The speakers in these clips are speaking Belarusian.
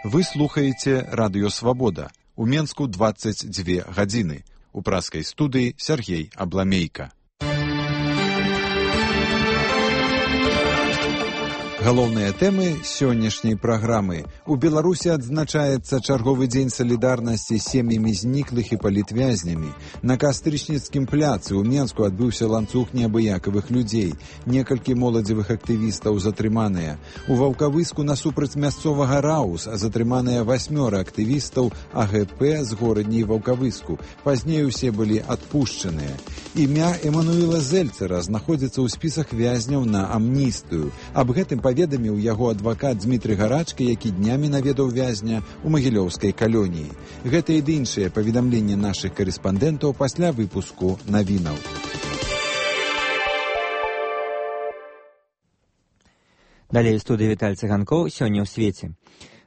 Вы слухаеце Радыё Свабода. У Менску 22 гадзіны. У праскай студыі Сергей Абламейка. Галоўныя тэмы сённяшняй праграмы. У Беларусі адзначаецца чарговы дзень салідарнасці з сем'ямі зніклых і палітвязнямі. На Кастрычніцкім пляцы ў Менску адбыўся ланцуг неабыякавых людзей. Некалькі моладзевых актывістаў затрыманыя. У Ваўкавыску насупраць мясцовага раус затрыманыя 8 актывістаў АГП з горадняй Ваўкавыску. Пазней усе былі адпушчаныя. Імя Эмануэла Зельцера знаходзіцца ў спісах вязняў на амністыю. Аб гэтым паведаміў яго адвакат Дмітрый Гарачка, які днямі наведаў вязня ў магілёўскай калоніі. Гэта і іншыя паведамленні нашых карэспандэнтаў пасля выпуску навінаў. Далей у студыі Віталь Цыганкоў сёння ў свеце.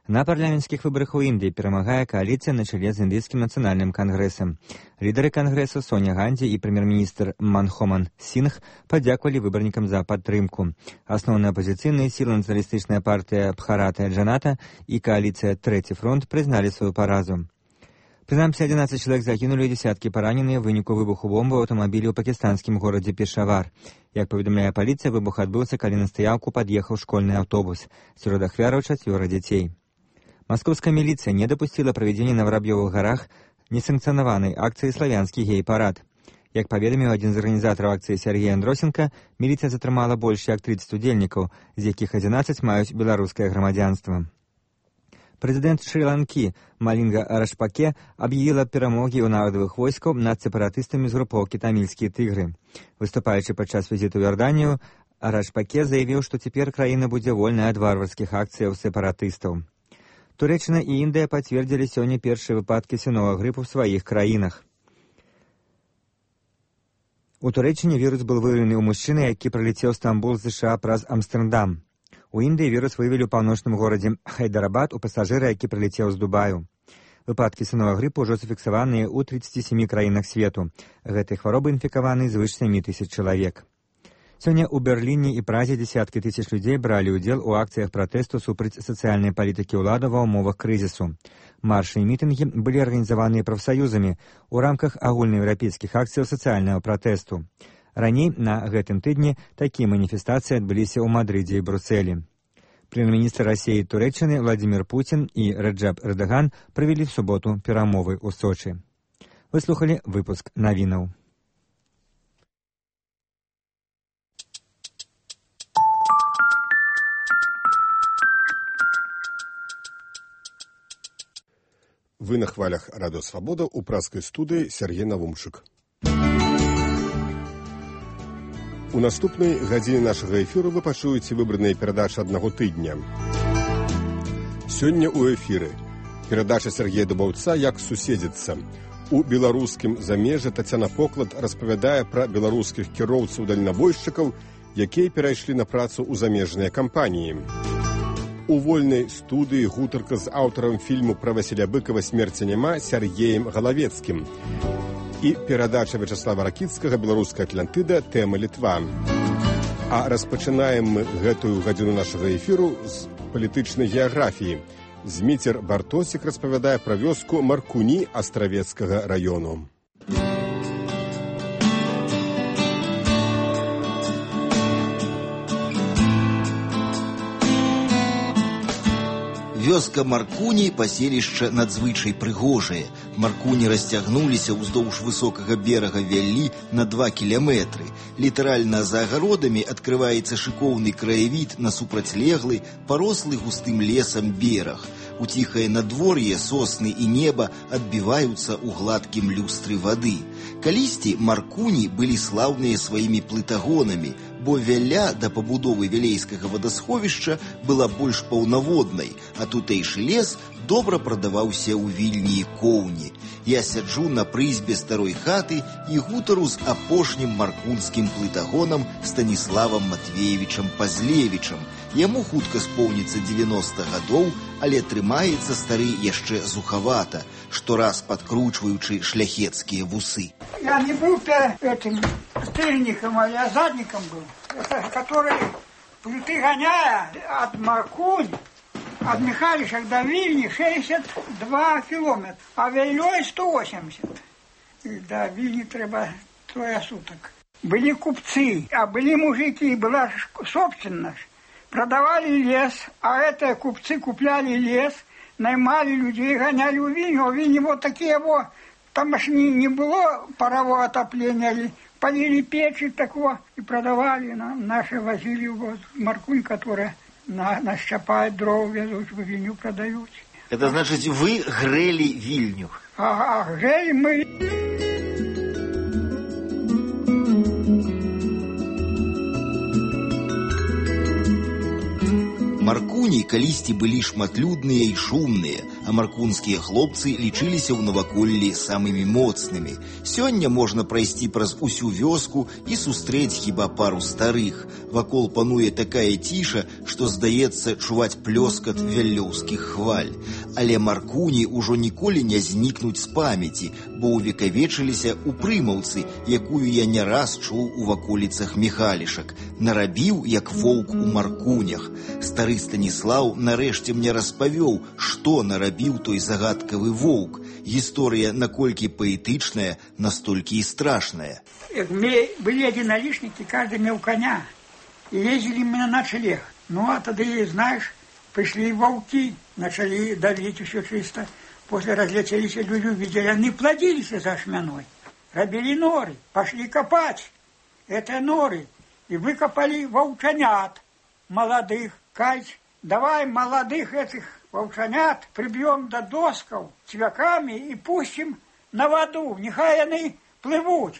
На парламенцкіх выбарах у Індыі перамагае кааліцыя на чале з індыйскім нацыянальным кангрэсам. Лідары кангрэсу Соня Ганді і прэм'ер-міністр Манхоман Сингх падзякавалі выбарнікам за падтрымку. Асноўныя апазіцыйныя сілы нацыяналістычная партыя Бхарата Джаната і кааліцыя Трэці фронт прызналі сваю паразу. Прынамсі 11 чалавек загінулі, дзесяткі параненыя ў выніку выбуху бомбы ў аўтамабілі ў пакістанскім горадзе Пешавар. Як паведамляе паліцыя, выбух адбыўся, калі на стаяўку пад'ехаў школьны аўтобус. Сярод ахвяраў 4 дзяцей. Маскоўская міліцыя не дапусціла правядзення на Вараб'ёвых гарах несанкцыянаванай акцыі «Славянскі гей-парад». Як паведаміў адзін з арганізатараў акцыі Сергей Андросенко, міліцыя затрымала больш як 30 удзельнікаў, з якіх 11 маюць беларускае грамадзянства. Прэзідэнт Шры-Ланкі Малінга Рашпаке аб'явіла перамогі ў народавых войскаў над сепаратыстамі з групоўкі тамільскія тыгры. Выступаючы падчас візіту ў Ярданію, Рашпаке заявіў, што цяпер краіна будзе вольная ад варварскіх акцыяў сепаратыстаў. Турэччына і Індыя пацвердзілі сёння першыя выпадкі свінога грыпу ў сваіх краінах. У Турэччыне вірус быў выяўлены ў мужчыны, які прылецеў Стамбул з США праз Амстэрдам. У Індыі вірус выявілі ў паўночным горадзе Хайдарабад у пасажыра, які прылецеў з Дубаю. Выпадкі свінога грыпу ўжо зафіксаваныя ў 37 краінах свету. Гэтай хваробай інфікаваны звыш 7 тысяч чалавек. Сёння ў Берліне і Празе дзесяткі тысяч людзей бралі ўдзел у акцыях пратэсту супраць сацыяльнай палітыкі ўлады ва ўмовах крызісу. Маршы і мітынгі былі арганізаваныя прафсаюзамі ў рамках агульнаеўрапейскіх акцыяў сацыяльнага пратэсту. Раней на гэтым тыдні такія маніфестацыі адбыліся ў Мадрыдзе і Брусэлі. Прэм'ер-міністр Расіі і Турэччыны Владзімір Пуцін і Раджаб Эрдаган правялі в суботу перамовы ў Сочы. Вы слухалі выпуск навінаў. Вы на хвалях Радыё Свабода у праскай студыі Сергей Навумчык. У наступнай гадзіне нашага эфіру вы пачуеце выбраныя перадачы аднаго тыдня. Сёння ў эфіры перадача Сергея Дубаўца «Як суседзіцца». У беларускім замежжы Тацяна Поклад распавядае пра беларускіх кіроўцаў-дальнабойшчыкаў, якія перайшлі на працу ў замежныя кампаніі. У вольнай студыі гутарка з аўтарам фільму пра Васіля Быкава «Смерці няма» Сергеем Галавецкім. І перадача Вячаслава Ракіцкага «Беларуская Атлантыда. Тэма Літва». А распачынаем мы гэтую гадзіну нашага эфіру з палітычнай геаграфіі. Зміцер Бартосік распавядае пра вёску Маркуні Астравецкага раёну. Вёска Маркуні паселішча надзвычай прыгожае. Маркуні расцягнуліся ўздоўж высокага берага Вяллі на 2 кіламетры. Літаральна за агародамі адкрываецца шыкоўны краявід на супрацьлеглы, парослы густым лесам бераг. У ціхае надвор'е сосны і неба адбіваюцца ў гладкім люстры вады. Калісьці Маркуні былі слаўныя сваімі плытагонамі, бо Вялля да пабудовы вялейскага вадасховішча была больш паўнаводнай, а тутэйшы лес добра прадаваўся ў Вільні і Коўні. Я сяджу на прызбе старой хаты і гутару з апошнім маркунскім плытагонам Станіславам Матвеевічам Пазлевічам. Яму хутка споўніцца 90 гадоў, але трымаецца стары яшчэ зухавата, штораз падкручваючы шляхецкія вусы. Я не был этим стыльником, а я задником был, который плиты гоняя от Маркунь От Михалиша до Вильни 62 километра, а Вельей 180. И до Вильни треба 3 суток. Были купцы, а были мужики, была собственность. Продавали лес, а это купцы купляли лес, наймали людей, гоняли в Вильню. А в Вильне вот такие вот, там аж не было парового отопления, полили печи такого и продавали. Наши возили вот Маркунь, которая нащапает дров, везут в Вильню, продают. Это значит, вы грели Вильню? Грели мы. Маркуні калісьці былі шматлюдныя і шумныя, а маркунскія хлопцы лічыліся ў наваколлі самымі моцнымі. Сёння можна прайсці праз усю вёску і сустрэць хіба пару старых. Вакол пануе такая ціша, што, здаецца, чуваць плёскат вяллёўскіх хваль. Але Маркуні ўжо ніколі не знікнуць з памяці, бо ўвекавечыліся ў прымаўцы, якую я не раз чуў у ваколіцах Михалішак. Нарабіў, як воўк у Маркунях. Стары Станіслаў нарэшце мне распавёў, што нарабіў той загадкавы воўк. Гісторыя наколькі паэтычная, настолькі і страшная. Были единоличники, каждый имел коня. И ездили мы на ночлег. Ну, а тогда, знаешь, пришли волки, начали давить все чисто. После разлетелись люди, увидели, они плодились за шмяной. Робили норы, пошли копать. Это норы. И выкопали волчанят молодых. Кать, давай молодых этих волчанят прибьем до досков цвяками и пустим на воду. Нехай они плывут,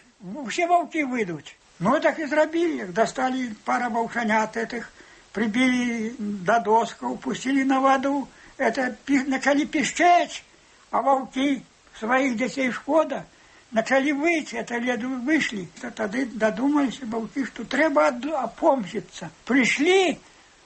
все волки выйдут. Ну, так и зробили. Достали пара волчанят этих, прибили до досков, пустили на воду. Это начали пищать, а волки своих детей шкода начали выть, это леду вышли. Тогда додумались волки, что треба опомниться. Пришли,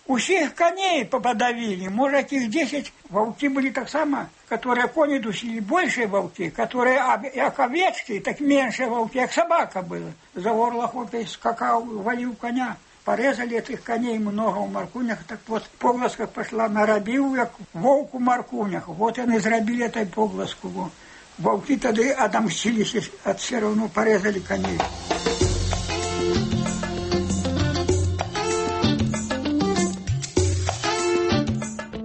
усіх коней подавили, может, их 10. Волки были так само, которые кони дусили, больше волки, которые, как овечки, так меньше волки, как собака была. За горло хлопец скакал, валил коня. Порезали этих коней много в Маркунях, так вот погласка пошла, нарабил, как волк у Маркунях. Вот они зробили этой погласку. Волки тогда отомстились, все равно порезали коней.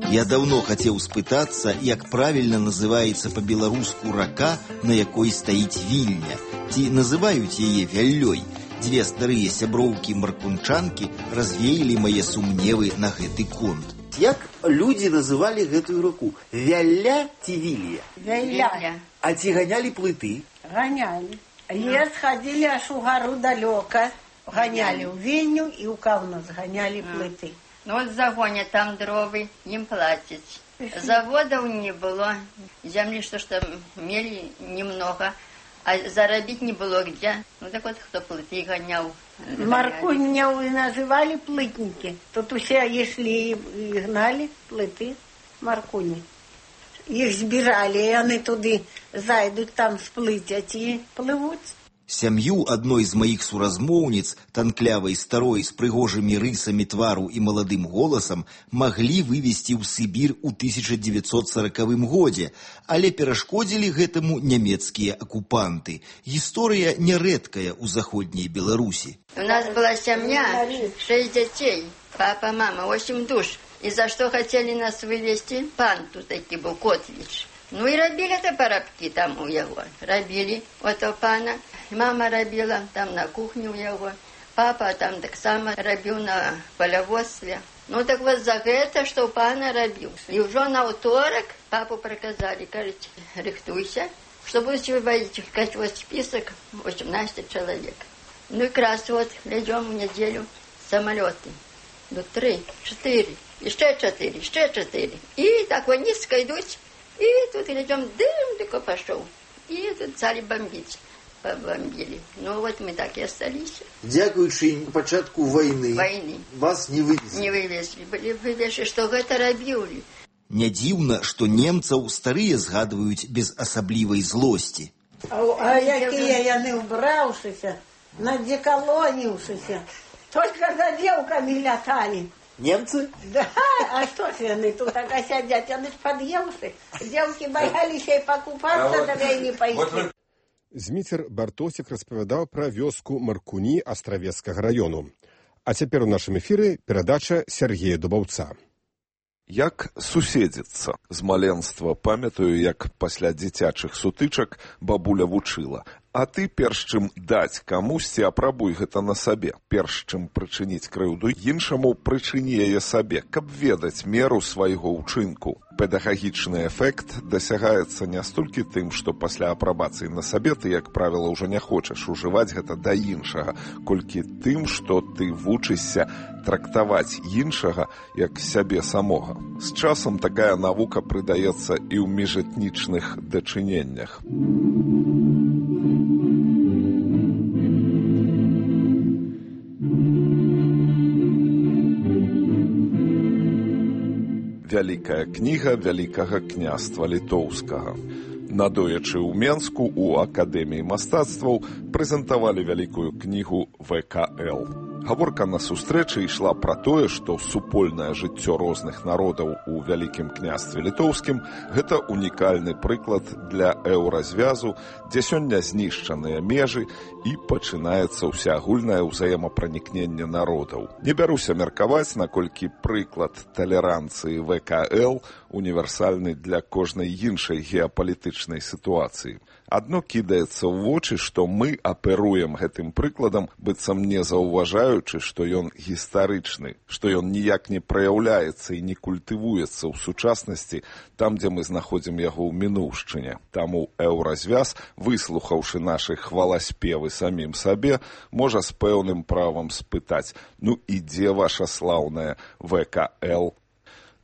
Я давно хотел спытаться, як правильно называется по-беларуску рака, на якой стаіць Вільня. Ці называюць яе Вяллёй. Дзве старыя сяброўкі маркунчанкі развеялі мае сумневы на гэты конт. Як людзі называлі гэтую раку? Вялля ці Вілья? Вялля. А ці ганялі плыты? Ганялі. Лес ходили аж у гору далёка. Ганяли ў Вільню і ў Каўнас ганялі плыты. Ну вот загонят там дровы, им платят. Заводов не было, земли что мели немного, а заробить не было где. Ну так вот, кто плыты гонял. Маркуньяу и называли плытники. Тут все шли и гнали плыты Маркуни. Их сбирали, и они туды зайдут там сплыть, а те плывут. Сям'ю адной з маіх суразмоўніц, танклявай старой з прыгожымі рысамі твару і маладым голасам, маглі вывезці ў Сібір у 1940 годзе, але перашкодзілі гэтаму нямецкія акупанты. Гісторыя нярэдкая ў заходняй Беларусі. У нас была семья, 6 детей, папа, мама, 8 душ. И за что хотели нас вывезти? Пан тут таки был, Котвич. Ну и робили это парабки там у его. Робили ото пана. Мама робила там на кухне у его. Папа там так само робил на полеводстве. Ну так вот за это, что пана робил. И уже на уторок папу приказали, говорит, рихтуйся, что будете выводить, сказать, вот список 18 человек. Ну и как раз вот идем в неделю самолеты. Ну 3, 4, еще 4, еще 4. И так вот низко идут. И тут идем, дым только пошел. И тут стали бомбить. Побомбили. Ну вот мы так и остались. Дякуючи початку войны вас не вывезли. Не вывезли. Были вывезли, что это робили. Не дзіўна, што немцаў старыя згадваюць без асаблівай злосці. А якія яны ўбраўшыся, надзекалоніўшыся. Только за девками лятали. Немцы? Да, а что ж яны тут так сядзяць, яны ж пад'еўцы. Дзеўкі баяліся і пакупацца да вайны пайсці. Зміцер Бартосік распавядаў пра вёску Маркуні Астравецкага раёну. А цяпер у нашым эфіры перадача Сергея Дубаўца. Як суседзіцца? З маленства памятаю, як пасля дзіцячых сутычак бабуля вучыла. А ты, перш чым даць камусьці, апрабуй гэта на сабе. Перш чым прычыніць крыўду іншаму, прычыні яе сабе, каб ведаць меру свайго ўчынку. Педагагічны эфект дасягаецца не столькі тым, што пасля апрабацыі на сабе ты, як правіла, ўжо не хочаш ужываць гэта да іншага, колькі тым, што ты вучышся трактаваць іншага як сябе самога. З часам такая навука прыдаецца і ў міжэтнічных дачыненнях. Вялікая кніга Вялікага княства літоўскага. Надоячы ў Менску у Акадэміі мастацтваў прэзентавалі вялікую кнігу ВКЛ. Гаворка на сустрэчы ішла пра тое, што супольнае жыццё розных народаў у Вялікім княстве літоўскім – гэта унікальны прыклад для еўразвязу, дзе сёння знішчаныя межы і пачынаецца ўсеагульнае ўзаемапранікненне народаў. Не бяруся меркаваць, наколькі прыклад талеранцыі ВКЛ універсальны для кожнай іншай геапалітычнай сітуацыі. Адно кідаецца ў вочы, што мы аперуем гэтым прыкладам, быццам не заўважаючы, што ён гістарычны, што ён ніяк не праяўляецца і не культывуецца ў сучаснасці там, дзе мы знаходзім яго ў мінуўшчыне. Таму еўразвяз, выслухаўшы нашы хваласпевы самім сабе, можа з пэўным правам спытаць: ну і дзе ваша слаўная ВКЛ?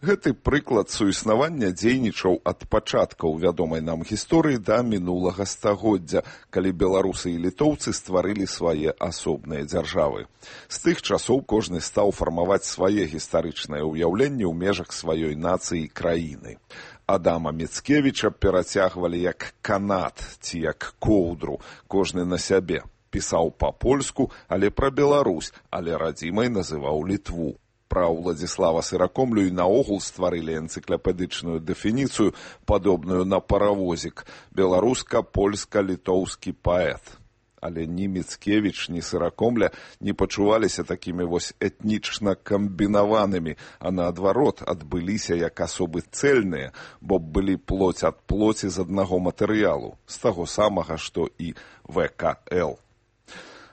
Гэты прыклад суіснавання дзейнічаў ад пачаткаў вядомай нам гісторыі да мінулага стагоддзя, калі беларусы і літоўцы стварылі свае асобныя дзяржавы. З тых часоў кожны стаў фармаваць свае гістарычныя ўяўленні ў межах сваёй нацыі і краіны. Адама Міцкевіча перацягвалі як канат ці як коўдру, кожны на сябе. Пісаў па-польску, але пра Беларусь, але радзімай называў Літву. Пра Уладзіслава Сыракомлю і наогул стварылі энцыклапедычную дэфініцыю, падобную на паравозік – беларуска-польска-літоўскі паэт. Але ні Міцкевіч, ні Сыракомля не пачуваліся такімі вось этнічна камбінаванымі, а наадварот адбыліся як асобы цэльныя, бо былі плоць ад плоці з аднаго матэрыялу, з таго самага, што і ВКЛ.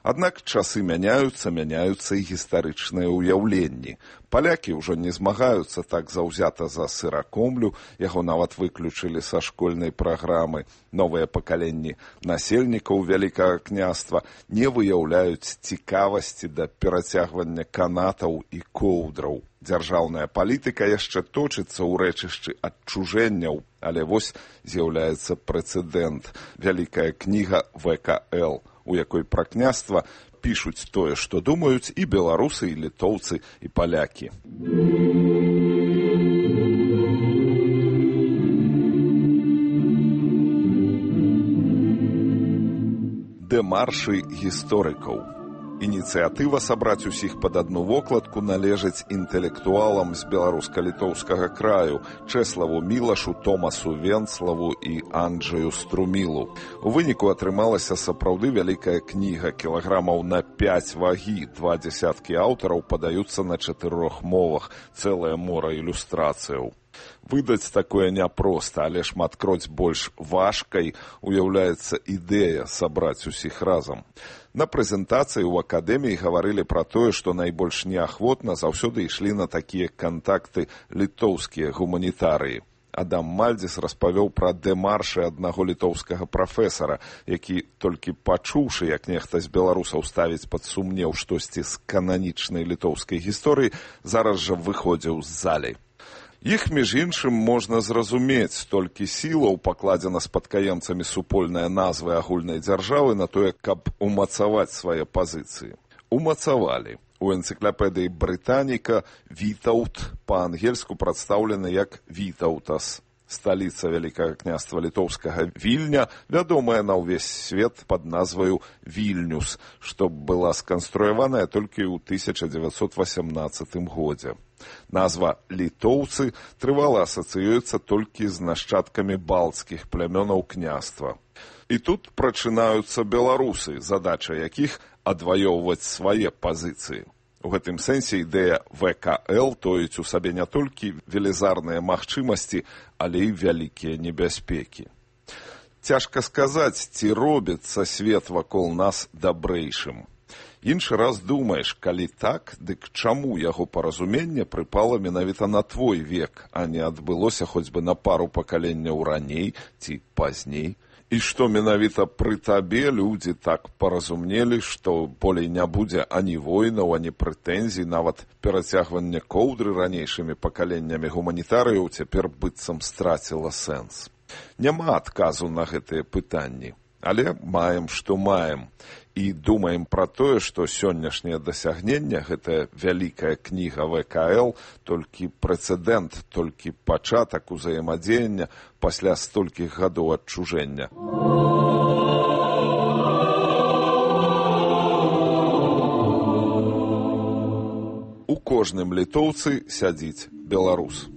Аднак часы мяняюцца і гістарычныя ўяўленні. Палякі ўжо не змагаюцца так заўзята за Сыракомлю, яго нават выключылі са школьнай праграмы. Новыя пакаленні насельнікаў Вялікага княства не выяўляюць цікавасці да перацягвання канатаў і коўдраў. Дзяржаўная палітыка яшчэ точыцца ў рэчышчы адчужэнняў, але вось з'яўляецца прэцэдэнт – Вялікая кніга ВКЛ, у якой пра княства пішуць тое, што думаюць і беларусы, і літоўцы, і палякі. Дэмаршы гісторыкаў. Ініцыятыва сабраць усіх пад адну вокладку належыць інтэлектуалам з беларуска-літоўскага краю Чэславу Мілашу, Томасу Венцлаву і Анджаю Струмілу. У выніку атрымалася сапраўды вялікая кніга, кілаграмаў на 5 вагі, 20 аўтараў падаюцца на 4 мовах, цэлае мора ілюстрацыяў. Выдаць такое няпроста, але шматкроць больш важкай уяўляецца ідэя сабраць усіх разам. На прэзентацыі ў акадэміі гаварылі пра тое, што найбольш неахвотна заўсёды ішлі на такія кантакты літоўскія гуманітарыі. Адам Мальдзіс распавёў пра дэмаршы аднаго літоўскага прафесара, які, толькі пачуўшы, як нехта з беларусаў ставіць пад сумнеў штосьці з кананічнай літоўскай гісторыі, зараз жа выходзіў з залі. Іх, між іншым, можна зразумець, толькі сілаў пакладзена спадкаемцамі супольныя назвы агульнай дзяржавы на тое, каб умацаваць свае пазіцыі. Умацавалі. У энцыклапедыі Брытаніка «Вітаўт» па-ангельску прадстаўлены як «Вітаўтас». Сталіца Вялікага княства літоўскага Вільня, вядомая на ўвесь свет пад назваю Вільнюс, што была сканструяваная толькі ў 1918 годзе. Назва «літоўцы» трывала асацыюецца толькі з нашчадкамі балцкіх плямёнаў княства. І тут прачынаюцца беларусы, задача якіх адваёўваць свае пазіцыі. У гэтым сэнсе ідэя ВКЛ тоіць у сабе не толькі велізарныя магчымасці, але і вялікія небяспекі. Цяжка сказаць, ці робіцца свет вакол нас дабрэйшым. Іншы раз думаеш, калі так, дык чаму яго паразуменне прыпала менавіта на твой век, а не адбылося хоць бы на пару пакаленняў раней ці пазней? І што менавіта пры табе людзі так паразумнелі, што болей не будзе ані войнаў, ані прэтэнзій, нават перацягванне коўдры ранейшымі пакаленнямі гуманітарыяў цяпер быццам страціла сэнс. Няма адказу на гэтыя пытанні, але маем, што маем. І думаем пра тое, што сённяшняе дасягненне, гэтая вялікая кніга ВКЛ, толькі прэцэдэнт, толькі пачатак узаемадзеяння пасля столькіх гадоў адчужэння. У кожным літоўцы сядзіць беларус.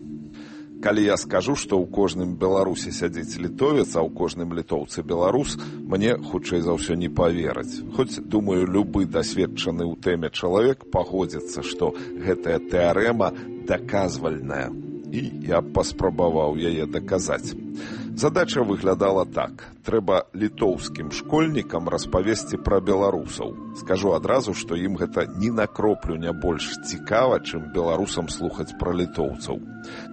Калі я скажу, што ў кожным беларусе сядзіць літовец, а ў кожным літоўцы беларус, мне, хутчэй за ўсё, не павераць. Хоць, думаю, любы дасведчаны ў тэме чалавек пагодзіцца, што гэтая тэарэма даказвальная. І я паспрабаваў яе даказаць. Задача выглядала так. Трэба літоўскім школьнікам распавесці пра беларусаў. Скажу адразу, што ім гэта ні на кроплю не больш цікава, чым беларусам слухаць пра літоўцаў.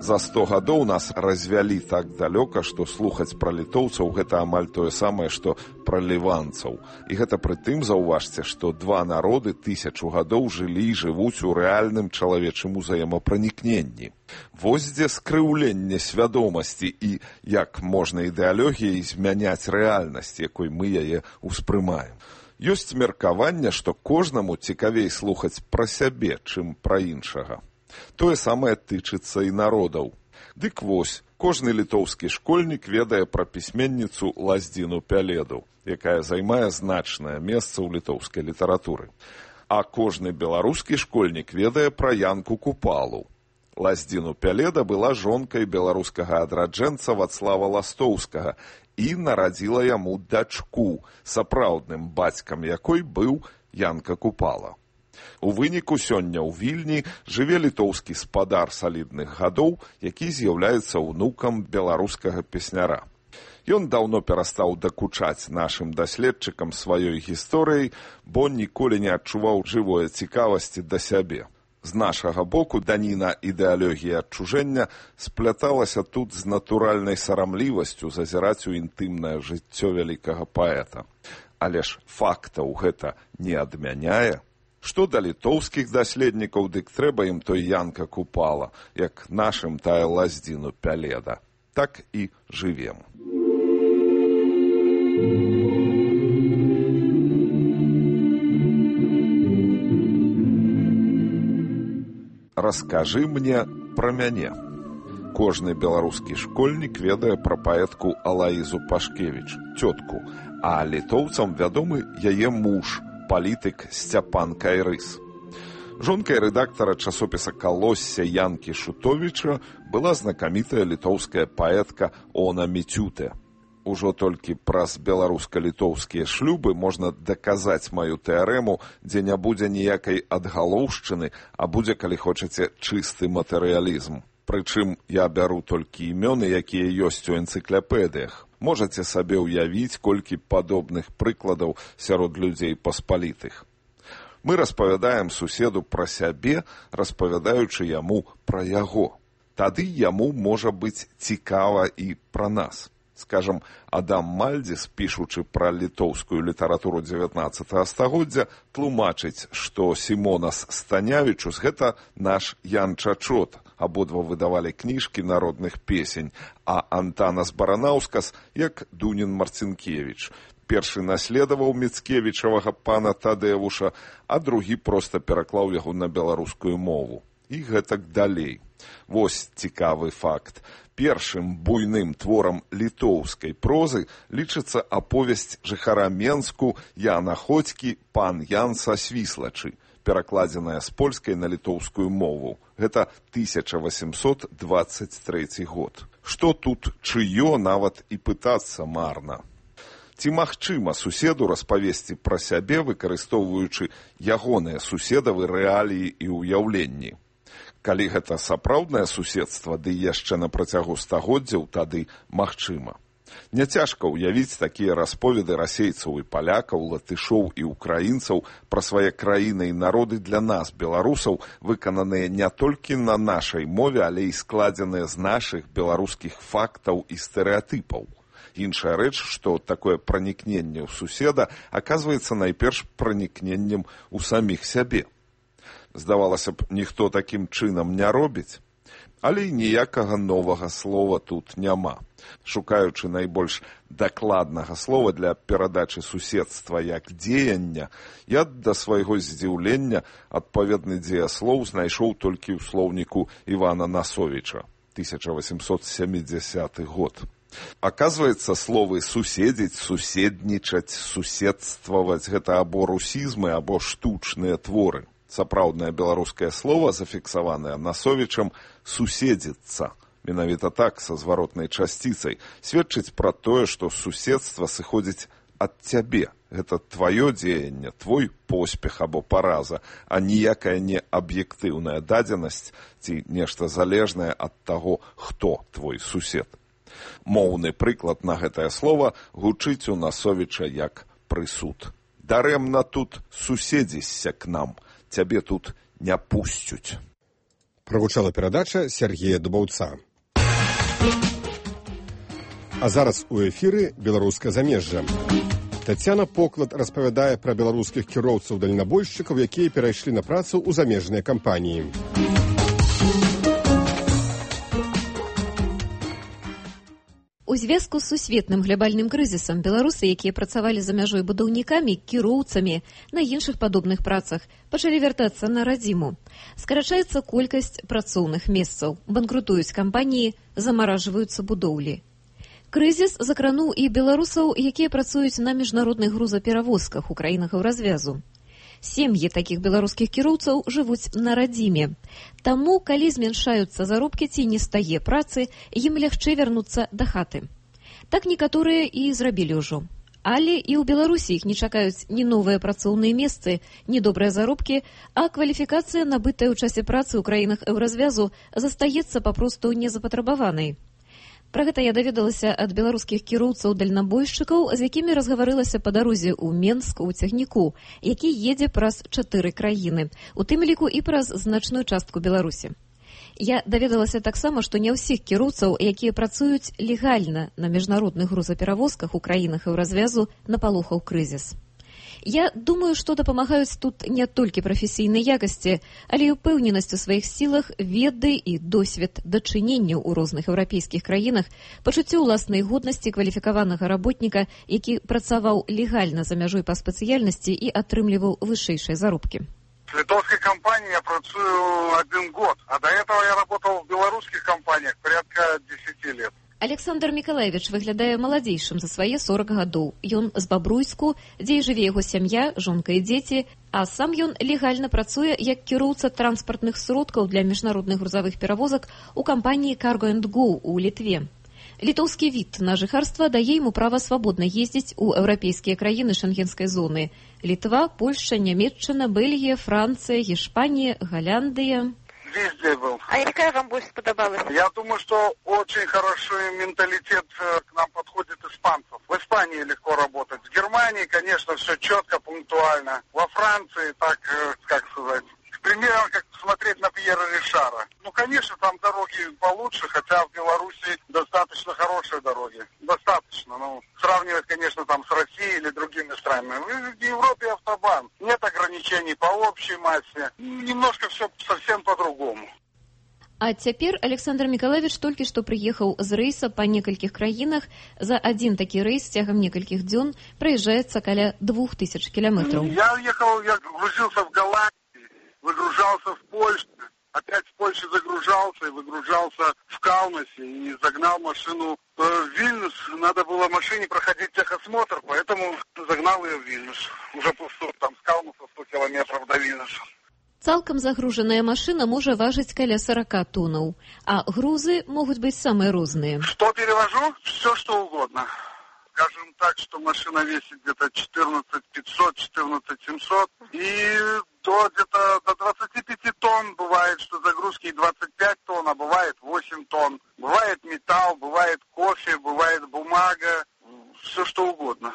За 100 гадоў нас развялі так далёка, што слухаць пра літоўцаў гэта амаль тое самае, што пра ліванцаў. І гэта пры тым, заўважце, што два народы 1000 гадоў жылі і жывуць у рэальным чалавечым узаемапранікненні. Вось дзе скрыўленне свядомасці і як можна ідэалогіяй змяняць рэальнасць, якой мы яе ўспрымаем. Ёсць меркаванне, што кожнаму цікавей слухаць пра сябе, чым пра іншага. Тое самае тычыцца і народаў. Дык вось, кожны літоўскі школьнік ведае пра пісьменніцу Лаздзіну Пяледу, якая займае значнае месца ў літоўскай літаратуры. А кожны беларускі школьнік ведае пра Янку Купалу. Лаздзіну Пяледа была жонкай беларускага адраджэнца Вацлава Ластоўскага і нарадзіла яму дачку, сапраўдным бацькам якой быў Янка Купала. У выніку сёння ў Вільні жыве літоўскі спадар салідных гадоў, які з'яўляецца ўнукам беларускага песняра. Ён даўно перастаў дакучаць нашым даследчыкам сваёй гісторыяй, бо ніколі не адчуваў жывой цікавасці да сябе. З нашага боку даніна ідэалогіі адчужэння спляталася тут з натуральнай сарамлівасцю зазіраць у інтымнае жыццё вялікага паэта. Але ж фактаў гэта не адмяняе. Што да літоўскіх даследнікаў, дык трэба ім той Янка Купала, як нашым тая Лаздзіну Пяледа. Так і жывем. Раскажы мне пра мяне. Кожны беларускі школьнік ведае пра паэтку Алаізу Пашкевіч, цётку, а літоўцам вядомы яе муж, палітык Сцяпан Кайрыс. Жонкай рэдактара часопіса «Калосся» Янкі Шутовіча была знакамітая літоўская паэтка Она Міцюте. Ужо толькі праз беларуска-літоўскія шлюбы можна даказаць маю тэарэму, дзе не будзе ніякай адгалоўшчыны, а будзе, калі хочаце, чысты матэрыялізм. Прычым я бяру толькі імёны, якія ёсць у энцыклапедыях. Можаце сабе ўявіць, колькі падобных прыкладаў сярод людзей паспалітых. Мы распавядаем суседу пра сябе, распавядаючы яму пра яго. Тады яму можа быць цікава і пра нас. Скажам, Адам Мальдзіс, пішучы пра літоўскую літаратуру 19 стагоддзя, тлумачыць, што Сімонас Станявічус – гэта наш Ян Чачот, абодва выдавалі кніжкі народных песень, а Антанас Баранаўскас як Дунін Марцінкевіч. Першы наследаваў Міцкевічавага пана Тадэвуша, а другі проста пераклаў яго на беларускую мову. І гэтак далей. Вось цікавы факт. Першым буйным творам літоўскай прозы лічыцца аповесць жыхара Менску Яна Ходзькі «Пан Ян са Свіслачы», перакладзеная з польскай на літоўскую мову. Гэта 1823 год. Што тут чыё, нават і пытацца марна. Ці магчыма суседу распавесці пра сябе, выкарыстоўваючы ягоныя суседавы рэаліі і ўяўленні? Калі гэта сапраўднае суседства, ды яшчэ на працягу стагоддзяў, тады магчыма. Няцяжка ўявіць такія расповеды расейцаў і палякаў, латышоў і ўкраінцаў пра свае краіны і народы для нас, беларусаў, выкананыя не толькі на нашай мове, але і складзеныя з нашых беларускіх фактаў і стэрэатыпаў. Іншая рэч, што такое пранікненне ў суседа аказваецца найперш пранікненнем у саміх сябе. Здавалася б, ніхто такім чынам не робіць. Але ніякага новага слова тут няма. Шукаючы найбольш дакладнага слова для перадачы суседства як дзеяння, я да свайго здзіўлення адпаведны дзеяслоў знайшоў толькі ў слоўніку Івана Насовіча, 1870 год. Аказваецца, словы суседзіць, суседнічаць, суседстваваць – гэта або русізмы, або штучныя творы. Сапраўднае беларускае слова, зафіксаванае Насовічам, суседзіцца. Менавіта так, са зваротнай часціцай, сведчыць пра тое, што суседства сыходзіць ад цябе. Гэта тваё дзеянне, твой поспех або параза, а ніякая не аб'ектыўная дадзенасць ці нешта залежнае ад таго, хто твой сусед. Моўны прыклад на гэтае слова гучыць у Насовіча як прысуд. Дарэмна тут суседзішся к нам. Цябе тут не пусцюць. Прагучала перадача Сергея Дубаўца. А зараз у эфіры беларускае замежжа. Тацяна Поклад распавядае пра беларускіх кіроўцаў-дальнабойшчыкаў, якія перайшлі на працу ў замежныя кампаніі. У звязку з сусветным глябальным крызісам беларусы, якія працавалі за мяжой будаўнікамі, кіроўцамі, на іншых падобных працах, пачалі вяртацца на радзіму. Скарачаецца колькасць працоўных месцаў, банкрутуюць кампаніі, замаражваюцца будоўлі. Крызіс закрануў і беларусаў, якія працуюць на міжнародных грузаперавозках у краінах развязу. Сем'і такіх беларускіх кіроўцаў жывуць на радзіме. Таму, калі змяншаюцца заробкі ці не стае працы, ім лягчэй вярнуцца да хаты. Так некаторыя і зрабілі ўжо. Але і ў Беларусі іх не чакаюць ні новыя працоўныя месцы, ні добрыя заробкі, а кваліфікацыя, набытая ў часе працы ў краінах еўразвязу, застаецца папросту незапатрабаванай. Пра гэта я даведалася ад беларускіх кіроўцаў-дальнабойшчыкаў, з якімі разгаварылася па дарозе ў Менск у цягніку, які едзе праз 4 краіны, у тым ліку і праз значную частку Беларусі. Я даведалася таксама, што не ўсіх кіроўцаў, якія працуюць легальна на міжнародных грузаперавозках у краінах еўразвязу, напалохаў крызіс. Я думаю, што дапамагаюць тут не толькі прафесійнай якасці, але і ўпэўненасць у сваіх сілах, веды і досвед дачыненняў у розных еўрапейскіх краінах, пачуццё ўласнай годнасці кваліфікаванага работніка, які працаваў легальна за мяжой па спецыяльнасці і атрымліваў вышэйшыя заробкі. В литовской компании я працую 1 год, а до этого я работал в белорусских компаниях порядка 10 лет. Александр Миколаевич выглядае маладзейшым за свае 40 гадоў. Ён з Бабруйску, дзе і жыве яго сям'я, жонка і дзеці, а сам ён легальна працуе як кіроўца транспартных сродкаў для міжнародных грузавых перавозак у кампаніі Cargo & Go у Літве. Літоўскі від на жыхарства дае яму права свабодна ездзіць у еўрапейскія краіны шенгенскай зоны. Літва, Польша, Нямецчына, Бельгія, Францыя, Гішпанія, Голландия. Везде был. А какая вам больше сподобалась? Я думаю, что очень хороший менталитет к нам подходит испанцев. В Испании легко работать. В Германии, конечно, все четко, пунктуально. Во Франции, так, как сказать, примерно как смотреть на Пьера Ришара. Ну, конечно, там дороги получше, хотя в Беларуси достаточно хорошие дороги. Достаточно. Ну, сравнивать, конечно, там с Россией или другими странами. В Европе автобан. Нет ограничений по общей массе. Немножко все совсем по-другому. А цяпер Александр Миколаевич толькі што прыехаў з рэйса па некалькіх краінах. За адзін такі рэйс цягам некалькіх дзён праязджаецца каля 2000 кілометраў. Я грузился в Голландии, выгружался в Польше, опять в Польше загружался и выгружался в Каунасе и загнал машину в Вильнюс. Надо было машине проходить техосмотр, поэтому загнал ее в Вильнюс. Уже пустой, там с Каунаса 100 километров до Вильнюса. Цалкам загружаная машина можа важыць каля 40 тоннаў, а грузы могуць быць самыя розныя. Что перевожу? Все, что угодно. Скажем так, что машина весит где-то 14 500, 14 700 и где-то до 25 тонн. Бывает, что загрузки и 25 тонн, а бывает 8 тонн. Бывает металл, бывает кофе, бывает бумага, все что угодно.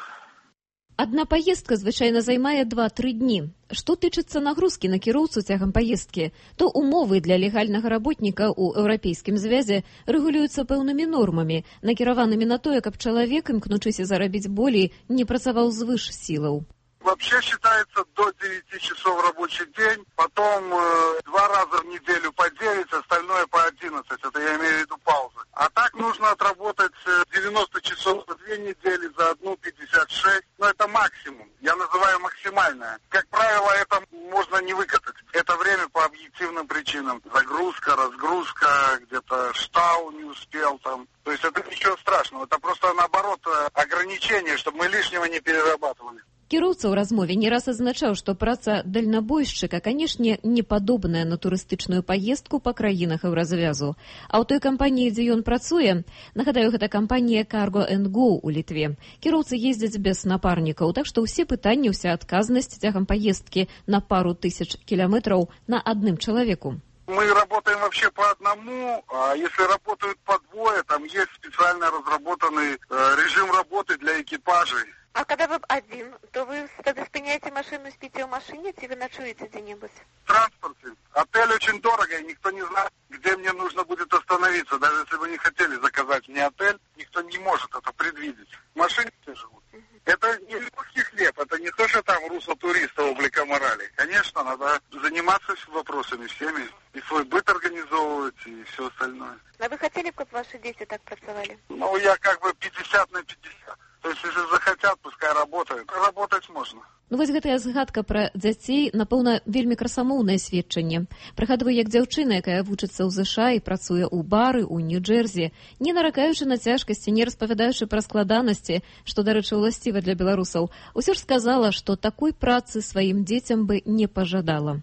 Адна паездка звычайна займае 2-3 дні. Што тычыцца нагрузкі на кіроўцу цягам паездкі, то умовы для легальнага работніка ў Еўрапейскім звязе рэгулююцца пэўнымі нормамі, накіраванымі на тое, каб чалавек, імкнучыся зарабіць болей, не працаваў звыш сілаў. Вообще считается до 9 часов рабочий день, потом 2 раза в неделю по 9, остальное по 11, это я имею в виду паузы. А так нужно отработать 90 часов за 2 недели, за одну 56, но это максимум, я называю максимальное. Как правило, это можно не выкатать, это время по объективным причинам. Загрузка, разгрузка, где-то штау не успел там. То есть это ничего страшного, это просто наоборот ограничение, чтобы мы лишнего не перерабатывали. Кіроўца ў размове не раз адзначаў, што праца дальнабойшчыка, канешне, не падобная на турыстычную паездку па краінах Еўразвязу. А ў той кампаніі, дзе ён працуе, нагадаю, гэта кампанія Cargo & Go ў Літве. Кіроўцы ездзяць без напарнікаў, так што ўсе пытанні, ўся адказнасць цягам паездкі на пару тысяч кіламетраў на адным чалавеку. Мы работаем вообще по одному, а если работают по двое, там есть специально разработанный режим работы для экипажей. А когда вы один, то вы тогда спиняете машину, спите в машине, или вы ночуете где-нибудь? В транспорте. Отель очень дорого, и никто не знает, где мне нужно будет остановиться. Даже если вы не хотели заказать мне отель, никто не может это предвидеть. В машине все живут. Это не легкий хлеб, это не то, что там русло туриста облика морали. Конечно, надо заниматься вопросами всеми, и свой быт организовывать, и все остальное. А вы хотели, чтобы ваши дети так працевали? Ну, я как бы 50 на 50. То есть, если захотят, пускай работают. Работать можно. Ну, вось гэтая згадка пра дзяцей, напэўна, вельмі красамоўнае сведчанне. Прыгадваю, як дзяўчына, якая вучыцца ў ЗША і працуе ў бары ў Нью-Джерсі, не наракаючы на цяжкасці, не распавядаючы пра складанасці, што, дарэчы, уласціва для беларусаў, усё ж сказала, што такой працы сваім дзецям бы не пажадала.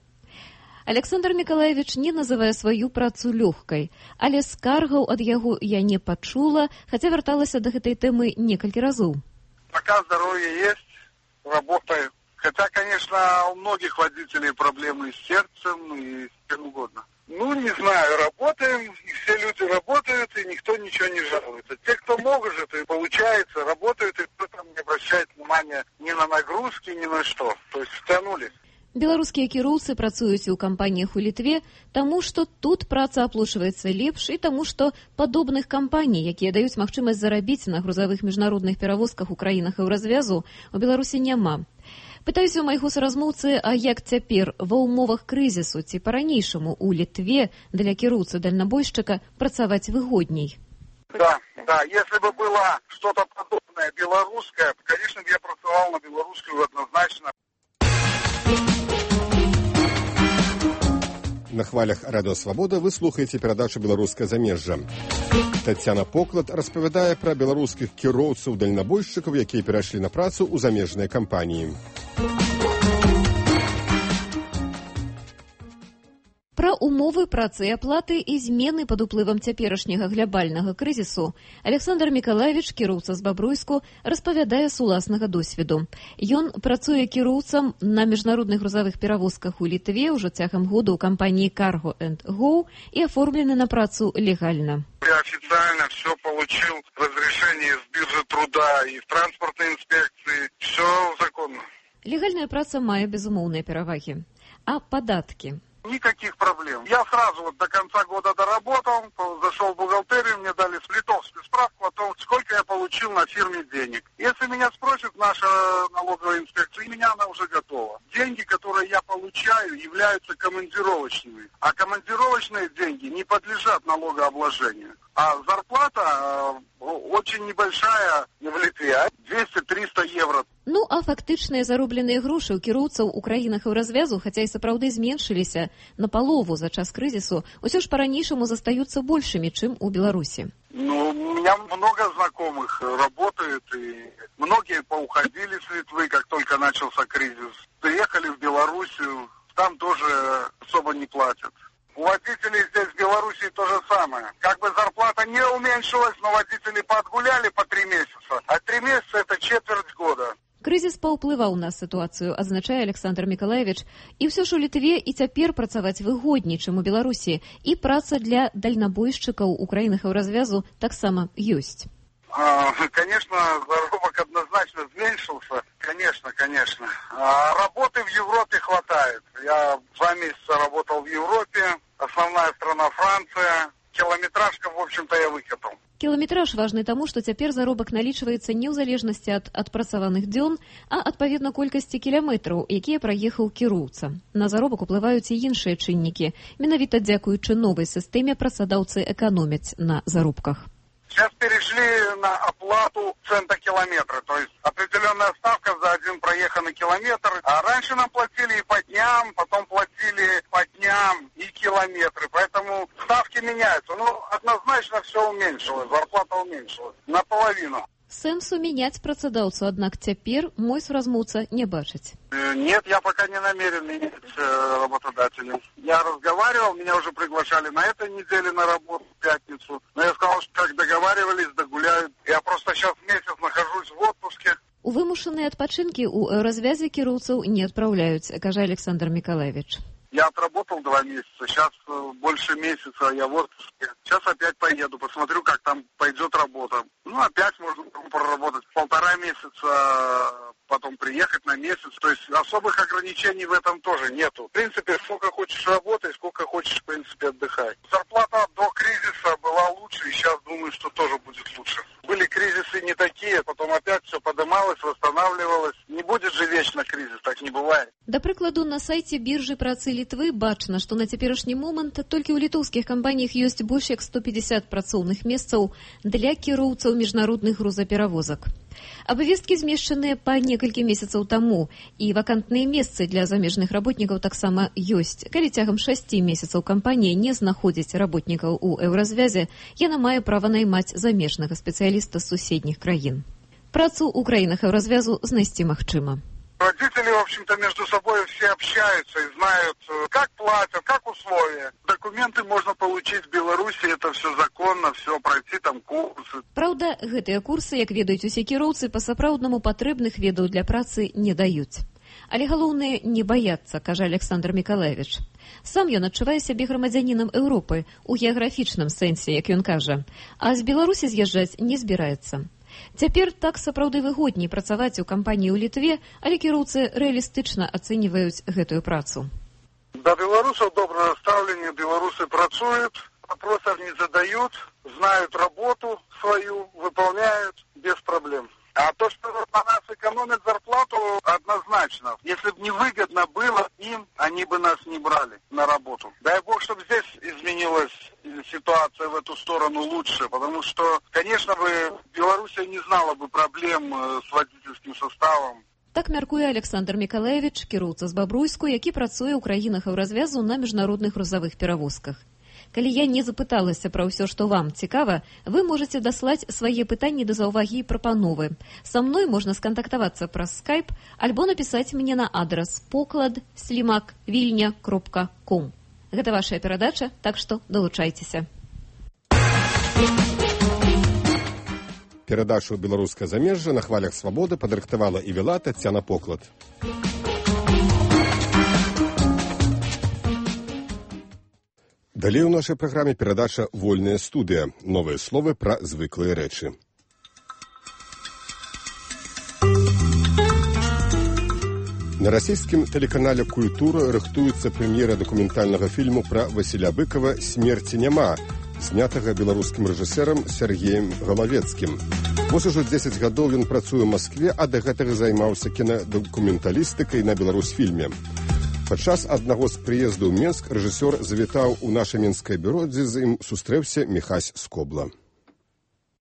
Александр Миколаевич не называе сваю працу лёгкай, але скаргаў ад яго я не пачула, хаця вярталася да гэтай тэмы некалькі разоў. Пока здоровье есть, работаю. Хотя, конечно, у многих водителей проблемы с сердцем и с чем угодно. Ну, не знаю, работаем, и все люди работают, и никто ничего не жалуется. Те, кто может, и получается, работают, и кто там не обращает внимания ни на нагрузки, ни на что. То есть втянулись. Беларускія кіроўцы працуюць у кампаніях у Літве, таму што тут праца аплачваецца лепш і таму што падобных кампаній, якія даюць магчымасць зарабіць на грузавых міжнародных перавозках у краінах Еўразвязу, у Беларусі няма. Пытаюся ў майго суразмоўцы, а як цяпер ва ўмовах крызісу ці па-ранейшаму у Літве для кіроўцы-дальнабойшчыка працаваць выгодней? Да, если бы было что-то подобное белорусское, конечно, я працавал на белорусскую однозначно. На хвалях Радио Свобода вы слухаеце перадачу «Беларускае замежжа». Тацяна Поклад распавядае пра беларускіх кіроўцаў-дальнабойшчыкаў, якія перайшлі на працу ў замежныя кампаніі. Пра умовы працы і аплаты і змены пад уплывам цяперашняга глябальнага крызісу Александр Миколаевич, кіроўца з Бабруйску, распавядае з уласнага досведу. Ён працуе кіроўцам на міжнародных грузавых перавозках у Літве ўжо цягам года ў кампаніі Cargo & Go і аформлены на працу легальна. Я официально все получил, разрешение с биржи труда и в транспортной инспекции, все законно. Легальная праца мае безумоўныя перавагі. А падаткі? Никаких проблем. Я сразу до конца года доработал, зашел в бухгалтерию, мне дали литовскую справку о том, сколько я получил на фирме денег. Если меня спросит наша налоговая инспекция, у меня она уже готова. Деньги, которые я получаю, являются командировочными. А командировочные деньги не подлежат налогообложению. А зарплата очень небольшая в Литве, 200-300 евро. Ну, а фактычныя заробленыя грошы ў кіроўцаў у краінах еўразвязу, хаця і сапраўды зменшыліся на палову за час крызісу, усё ж па-ранейшаму застаюцца большымі, чым у Беларусі. Ну, у меня много знакомых работают, и многие поуходили с Литвы, как только начался кризис. Приехали в Белоруссию, там тоже особо не платят. У водителей здесь в Белоруссии то же самое. Как бы зарплата не уменьшилась, но водители подгуляли по 3 месяца. А 3 месяца это четверть года. Крызіс паўплываў на сітуацыю, адзначае Александр Мікалаевіч. І ўсё ж у Літве і цяпер працаваць выгодней, чым у Беларусі. І праца для дальнабойшчыкаў у краінах еўразвязу таксама ёсць. Конечно, заработок однозначно зменшился. Конечно. А работы в Европе хватает. Я 2 месяца работал в Европе. Основная страна Франция. Километражка, в общем-то, я выкатал. Кіламетраж важны таму, што цяпер заробак налічваецца не ў залежнасці ад адпрацаваных дзён, а адпаведна колькасці кіламетраў, якія праехаў кіроўца. На заробак уплываюць і іншыя чыннікі. Менавіта дзякуючы новай сістэме працадаўцы эканомяць на заробках. Сейчас перешли на оплату цента километра, то есть определенная ставка за один проеханный километр. А раньше нам платили и по дням, потом платили по дням и километры, поэтому ставки меняются. Ну, однозначно все уменьшилось, зарплата уменьшилась наполовину. Сэнсу мяняць працадаўцу, аднак цяпер мой суразмоўца не бачыць. Нет, я пока не намерен менять работодателя. Я разговаривал, меня уже приглашали на этой неделе на работу в пятницу. Но я сказал, что как договаривались, догуляют. Я просто сейчас месяц нахожусь в отпуске. У вымушаныя адпачынкі ў развязе кіроўцаў не адпраўляюць, кажа Александр Мікалаевіч. Я отработал 2 месяца, сейчас больше месяца я в отпуске. Сейчас опять поеду, посмотрю, как там пойдет работа. Ну, опять можно проработать 1,5 месяца, потом приехать на месяц. То есть особых ограничений в этом тоже нету. В принципе, сколько хочешь работай, сколько хочешь, в принципе, отдыхай. Зарплата до кризиса была лучше, и сейчас думаю, что тоже будет лучше. Были кризисы не такие, потом опять все подымалось, восстанавливалось. Не будет же вечно кризис, так не бывает. Да прыкладу, на сайце біржы працы Літвы бачна, што на цяперашні момант толькі ў літоўскіх кампаніях ёсць больш як 150 працоўных месцаў для кіроўцаў міжнародных грузаперавозак. Абавесткі змешчаныя па некалькі месяцаў таму, і вакантныя месцы для замежных работнікаў таксама ёсць. Калі цягам 6 месяцаў кампанія не знаходзіць работнікаў у еўразвязе, яна мае права наймаць замежнага спецыяліста з суседніх краін. Працу ў краінах еўразвязу знайсці магчыма. Родители, в общем-то, между собой все общаются и знают, как платят, как условия. Документы можно получить в Беларуси, это все законно, все пройти там курсы. Праўда, гэтыя курсы, як ведаюць усе кіроўцы, па-сапраўднаму патрэбных ведаў для працы не даюць. Але галоўнае не баяцца, кажа Александр Мікалаевіч. Сам ён адчувае сябе грамадзянінам Еўропы у геаграфічным сэнсе, як ён кажа, а з Беларусі з'язджаць не збіраецца. Цяпер так сапраўды выгодней працаваць у кампаніі ў Літве, але кіроўцы рэалістычна ацэньваюць гэтую працу. Да белорусов доброе ставление, белорусы працуют, вопросов не задают, знают работу свою, выполняют без проблем. А то, что на нас экономят зарплату, однозначно. Если бы невыгодно было им, они бы нас не брали на работу. Дай бог, чтобы здесь изменилась ситуация в эту сторону лучше, потому что, конечно, Белоруссия не знала бы проблем с водительским составом. Так мяркуе Александр Мікалаевіч, кіроўца з Бабруйску, які працуе ў краінах еўразвязу на міжнародных грузавых перавозках. Калі я не запыталася пра ўсё, што вам цікава, вы можаце даслаць свае пытанні да заўвагі і прапановы. Са мной можна скантактавацца праз скайп альбо напісаць мне на адрас poklad@vilnia.com. Гэта вашая перадача, так што далучайцеся. Перадачу «Беларускае замежжа» на хвалях свабоды падрыхтавала і вела Тацяна Поклад. Далей у нашай праграме перадача «Вольная студыя». Новыя словы пра звыклыя рэчы. На расійскім тэлеканале «Культура» рыхтуецца прэм'ера дакументальнага фільму пра Васіля Быкава «Смерці няма», знятага беларускім рэжысэрам Сергеем Галавецкім. Вось ужо 10 гадоў ён працуе ў Маскве, а да гэтага займаўся кінадакументалістыкай на Беларусьфільме. Падчас аднаго з прыездаў у Менск рэжысёр завітаў у наша менскае бюро, дзе з ім сустрэўся Міхась Скобла.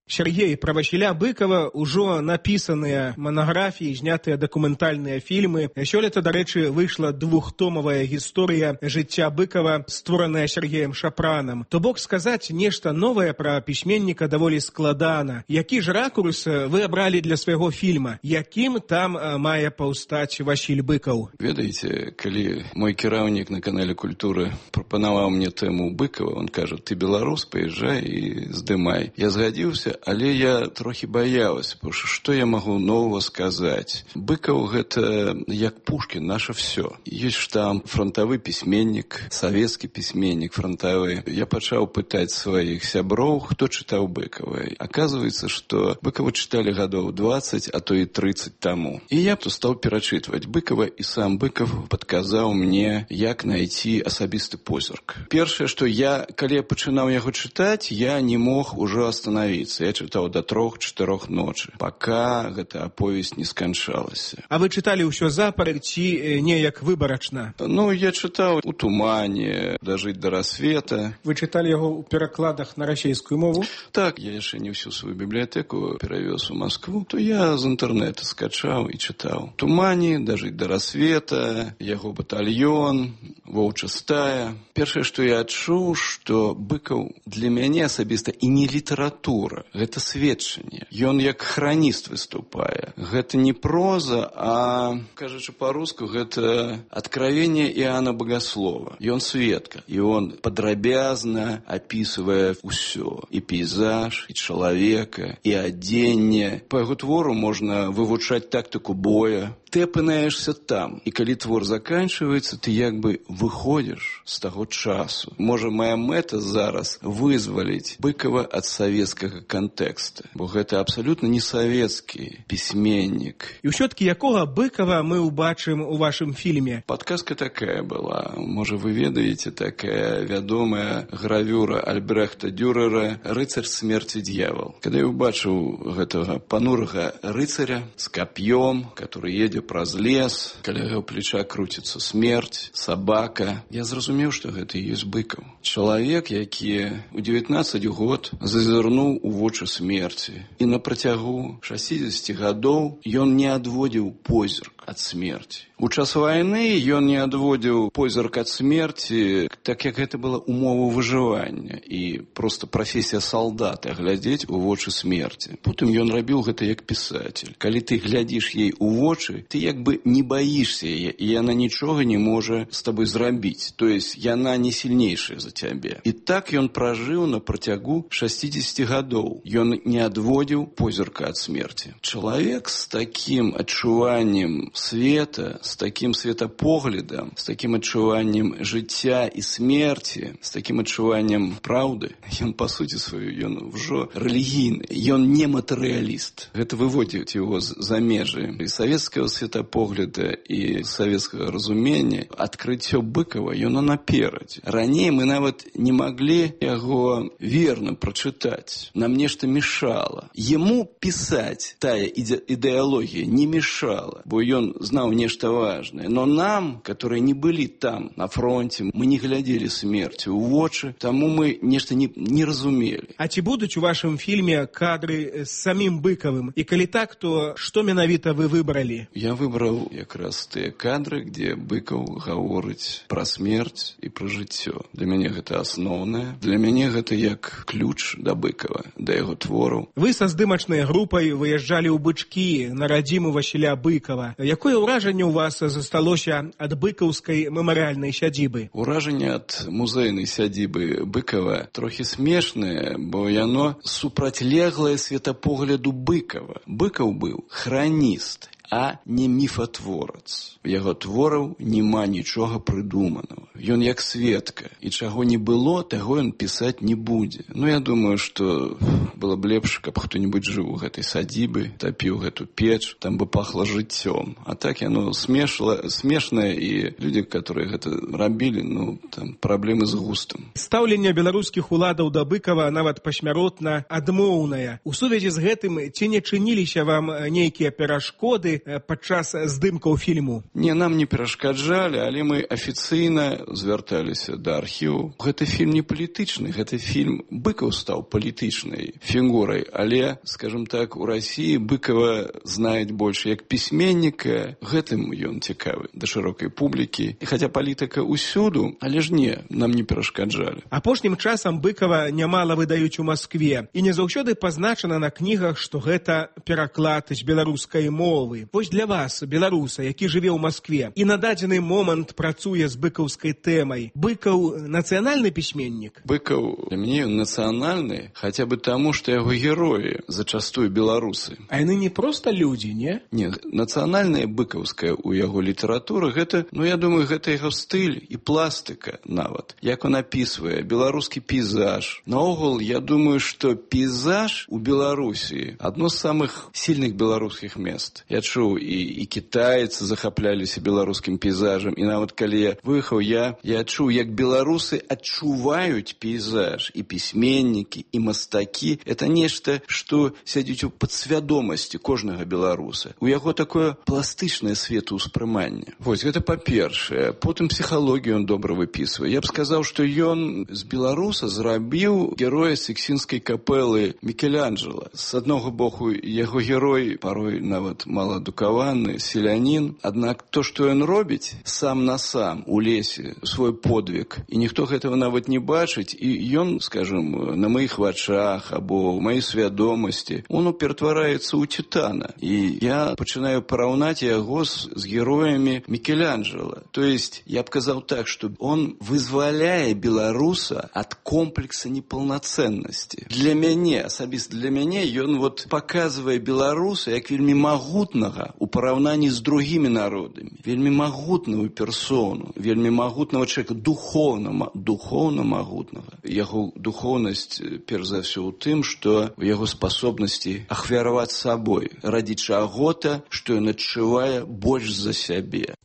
Сергей, пра Васіля Быкова ўжо напісаныя манаграфіі, знятыя дакументальныя фільмы. Сёлета, дарэчы, выйшла двухтомавая гісторыя жыцця Быкова, створаная Сергеем Шапранам. То бок сказаць нешта новае пра пісьменніка даволі складана. Які ж ракурс вы абралі для свайго фільма? Якім там мае паўстаць Васіль Быкаў? Ведаеце, калі мой кіраўнік на канале Культуры прапанаваў мне тэму Быкова, он кажа: ты беларус, паязджай і здымай. Я згадзіўся, але я трохі баялась, потому што я магу нового сказаць? Быкаў гэта як Пушкін, наше всё. Ёсць штамп, фронтавы пісьменнік, савецкі пісьменнік фронтавы. Я пачаў пытаць сваіх сяброў, хто чытаў Быкава. Аказваецца, што Быкава чыталі гадоў 20, а то і 30 таму. І я стаў перачытваць Быкава, і сам Быкаў падказаў мне, як найти асабісты позірк. Першае, што калі я пачынаў яго чытаць, я не мог ужо остановиться. Я чытаў до 3-4 ночы, пока гэта аповесць не сканчалася. А вы чыталі ўсё запар ці неяк выбарачна? Ну, я чытаў у тумане, дажыць до рассвета. Вы чыталі яго ў перакладах на расійскую мову? Так, я яшчэ не всю сваю бібліятэку перавёз у Москву, то я з інтэрнэта скачаў і чытаў. Тумане, дажыць до рассвета, яго батальён, воўча стая. Першае, што я адчуў, што Быкаў для мяне асабіста і не літаратура, гэта сведчанне. Ён як храніст выступае. Гэта не проза, а, кажучы па-руску, гэта откровение Иоанна Богослова. Ён сведка, і он падрабязна апісвае ўсё. І пейзаж, і чалавека, і адзенне. Па яго твору можна вывучаць тактыку боя. Ты апынаешься там, і калі твор заканчивается, ты як бы выходишь з таго часу. Можа, моя мэта зараз вызваліць Быкова ад савецкага контекста, бо гэта абсолютно не савецкі пісьменнік. І ўсё-таки якога Быкова мы убачым у вашым фільме? Падказка такая была. Можа, вы ведаеце, такая вядомая гравюра Альбрехта Дюрера «Рыцарь смерти дьявол». Калі я убачыў гэтага панурага рыцаря з кап'ём, который едзе праз лес, каля яго плеча круціцца смерць, сабака, я зразумеў, што гэта і ёсць Быкаў. Чалавек, які ў 19 год зазірнуў у вочы смерці. І на працягу 60 гадоў ён не адводзіў позірк ад смерці. У час вайны ён не адводзіў позірк ад смерці, так як гэта была умова выжывання і просто прафесія салдата глядзець у вочы смерці. Потым ён рабіў гэта як пісатель. Калі ты глядзіш ей у вочы, ты як бы не баішся яе, і яна нічога не можа з табой зрабіць. То есть яна не сильнейшая за цябе. І так ён пражыў на працягу 60 гадоў. Ён не адводзіў позірка ад смерці. Чалавек з такім адчуваннем света, з такім светапоглядам, з такім адчуваннем жыцця і смерці, з такім адчуваннем праўды, ён па суці сваю, ён ўжо рэлігійны, ён не матэрыяліст. Гэта выводзіць яго за межы і савецкага светапогляда і савецкага разумення. Адкрыццё Быкава, ён наперадзе. Раней мы нават не маглі яго верна прачытаць. Нам нешта мешала. Яму пісаць тая ідэалогія не мешала, бо ён знаў нешта важнае. Но нам, которые не былі там, на фронте, мы не глядзелі смерці ў вочы, таму мы нешта не разумелі. А ці будуць у вашым фільме кадры з самім Быкавым? І калі так, то што менавіта вы выбралі? Я выбраў якраз тыя кадры, дзе Быкаў гаворыць пра смерць і пра жыццё. Для мяне гэта асноўнае. Для мяне гэта як ключ да Быкава, да яго твораў. Вы са здымачнай групай выязджалі ў Бычкі на радзіму Васіля Быкава. Якое ўражанне ў вас засталося ад быкаўскай мемарыяльнай сядзібы? Уражанне ад музейнай сядзібы Быкава трохі смешнае, бо яно супрацьлеглае светапогляду Быкава. Быкаў быў храніст, а не міфатворац. У яго твораў няма нічога прыдуманага. Ён як сведка, і чаго не было, таго ён пісаць не будзе. Ну, я думаю, што было б лепш, каб хто-небудзь жыў у гэтай садзібы, тапіў гэту печ, там бы пахла жыццём. А так яно смешнае, і людзі, которые гэта рабілі, ну, там праблемы з густам. Стаўленне беларускіх уладаў да Быкава нават пасмяротна адмоўнае. У сувязі з гэтым ці не чыніліся вам нейкія перашкоды падчас здымкаў фільму? Не, нам не перашкаджалі, але мы афіцыйна звярталіся да архіву. Гэты фільм не палітычны, гэты фільм Быкаў стаў палітычнай фігурай, але, скажем так, у Расіі Быкава знаюць больш як пісьменніка, гэтым ён цікавы да шырокай публікі. І хаця палітыка ўсюду, але ж не, нам не перашкаджалі. Апошнім часам Быкава нямала выдаюць у Маскве, і не заўсёды пазначана на кнігах, што гэта пераклад з беларускай мовы. Вось для вас, беларуса, які жыве ў Маскве і на дадзены момант працуе з быкаўскай тэмай, Быкаў нацыянальны пісьменнік? Быкаў для мяне ён нацыянальны, хаця бы таму, што яго героі зачастую беларусы. А яны не проста людзі, не? Не, нацыянальная быкаўская ў яго літаратуры, гэта, я думаю, гэта яго стыль і пластыка нават. Як он апісвае беларускі пейзаж. Наогул, я думаю, што пейзаж у Беларусі адно з самых сильных беларускіх мест. Я чуў, і кітайцы захапляліся беларускім пейзажам, і нават калі я выехаў, я чуў, як беларусы адчуваюць пейзаж, і пісьменнікі, і мастакі. Это нешта, што сядзіць у падсвядомасці кожнага беларуса. У яго такое пластычнае светаўспрыманне. Вось, гэта па-першае. Потым псіхалогію ён добра выпісвае. Я б сказаў, што ён з беларуса зрабіў героя Сікстынскай капэлы Мікеланджела. З аднаго боку, яго герой парой нават маладукаваны, селянін. Аднак то, што ён робіць сам на сам у лесе, свой подвиг, і ніхто гэтага нават не бачыць, і ён, скажем, на маіх вачах або ў маёй свядомасці, он ператвараецца ў титана. І я пачынаю параўнаць яго з героямі Мікеланджела. То есть, я б казаў так, што он вызваляе беларуса ад комплекса непаўнацэннасці. Для мяне, асабіста для мяне, ён паказвае беларуса як вельмі магутнага ў параўнанні з другімі народамі. Вельмі магутную персону, вельмі магутнага чалавека, духоўна магутнага. Яго духоўнасць, перш за ўсё, у тым, што яго спасобнасці ахвяраваць сабой ради чаго-то, што ён адчувае больш за сябе.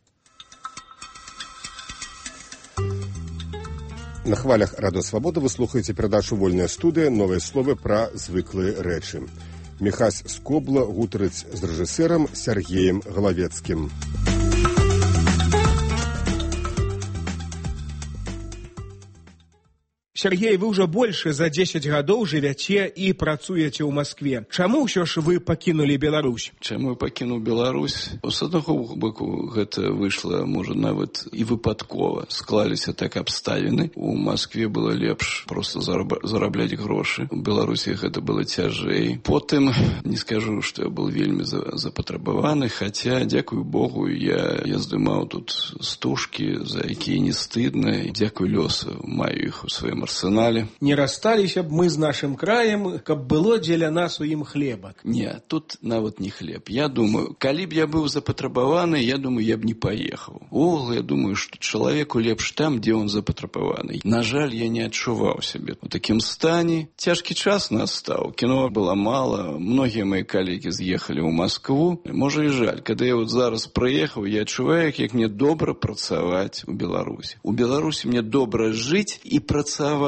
На хвалях Радыё Свабода вы слухаеце перадачу «Вольная студыя. Новыя словы пра звыклыя рэчы». Міхась Скобла гутарыць з рэжысэрам Сергеем Галавецкім. Сергей, вы ўжо больш за 10 гадоў жывяце і працуеце ў Маскве. Чаму ўсё ж вы пакінулі Беларусь? Чаму я пакінуў Беларусь? З аднаго боку, гэта выйшла, можа, нават і выпадкова. Склаліся так абставіны. У Маскве было лепш проста зарабляць грошы. У Беларусі гэта было цяжэй. Потым, не скажу, што я был вельмі запатрабаваны, хаця, дзякую Богу, я здымаў тут стужкі, за якія не стыдна. Дзякую лёсу, маю іх у сваім арсенале. Не рассталіся б мы з нашым краем, каб было дзеля нас у ім хлебак. Не, тут нават не хлеб. Я думаю, калі б я быў запатрабаваны, я думаю, я б не паехаў. Увогуле, я думаю, што чалавеку лепш там, дзе он запатрабаваны. На жаль, я не адчуваў сябе у такім стане. Цяжкі час настаў. Кіно было мала. Многія мои калегі з'ехалі ў Маскву. Можа і жаль. Калі я зараз прыехаў, я адчуваю, як мне добра працаваць у Беларусі. У Беларусі мне добра жыць і працаваць.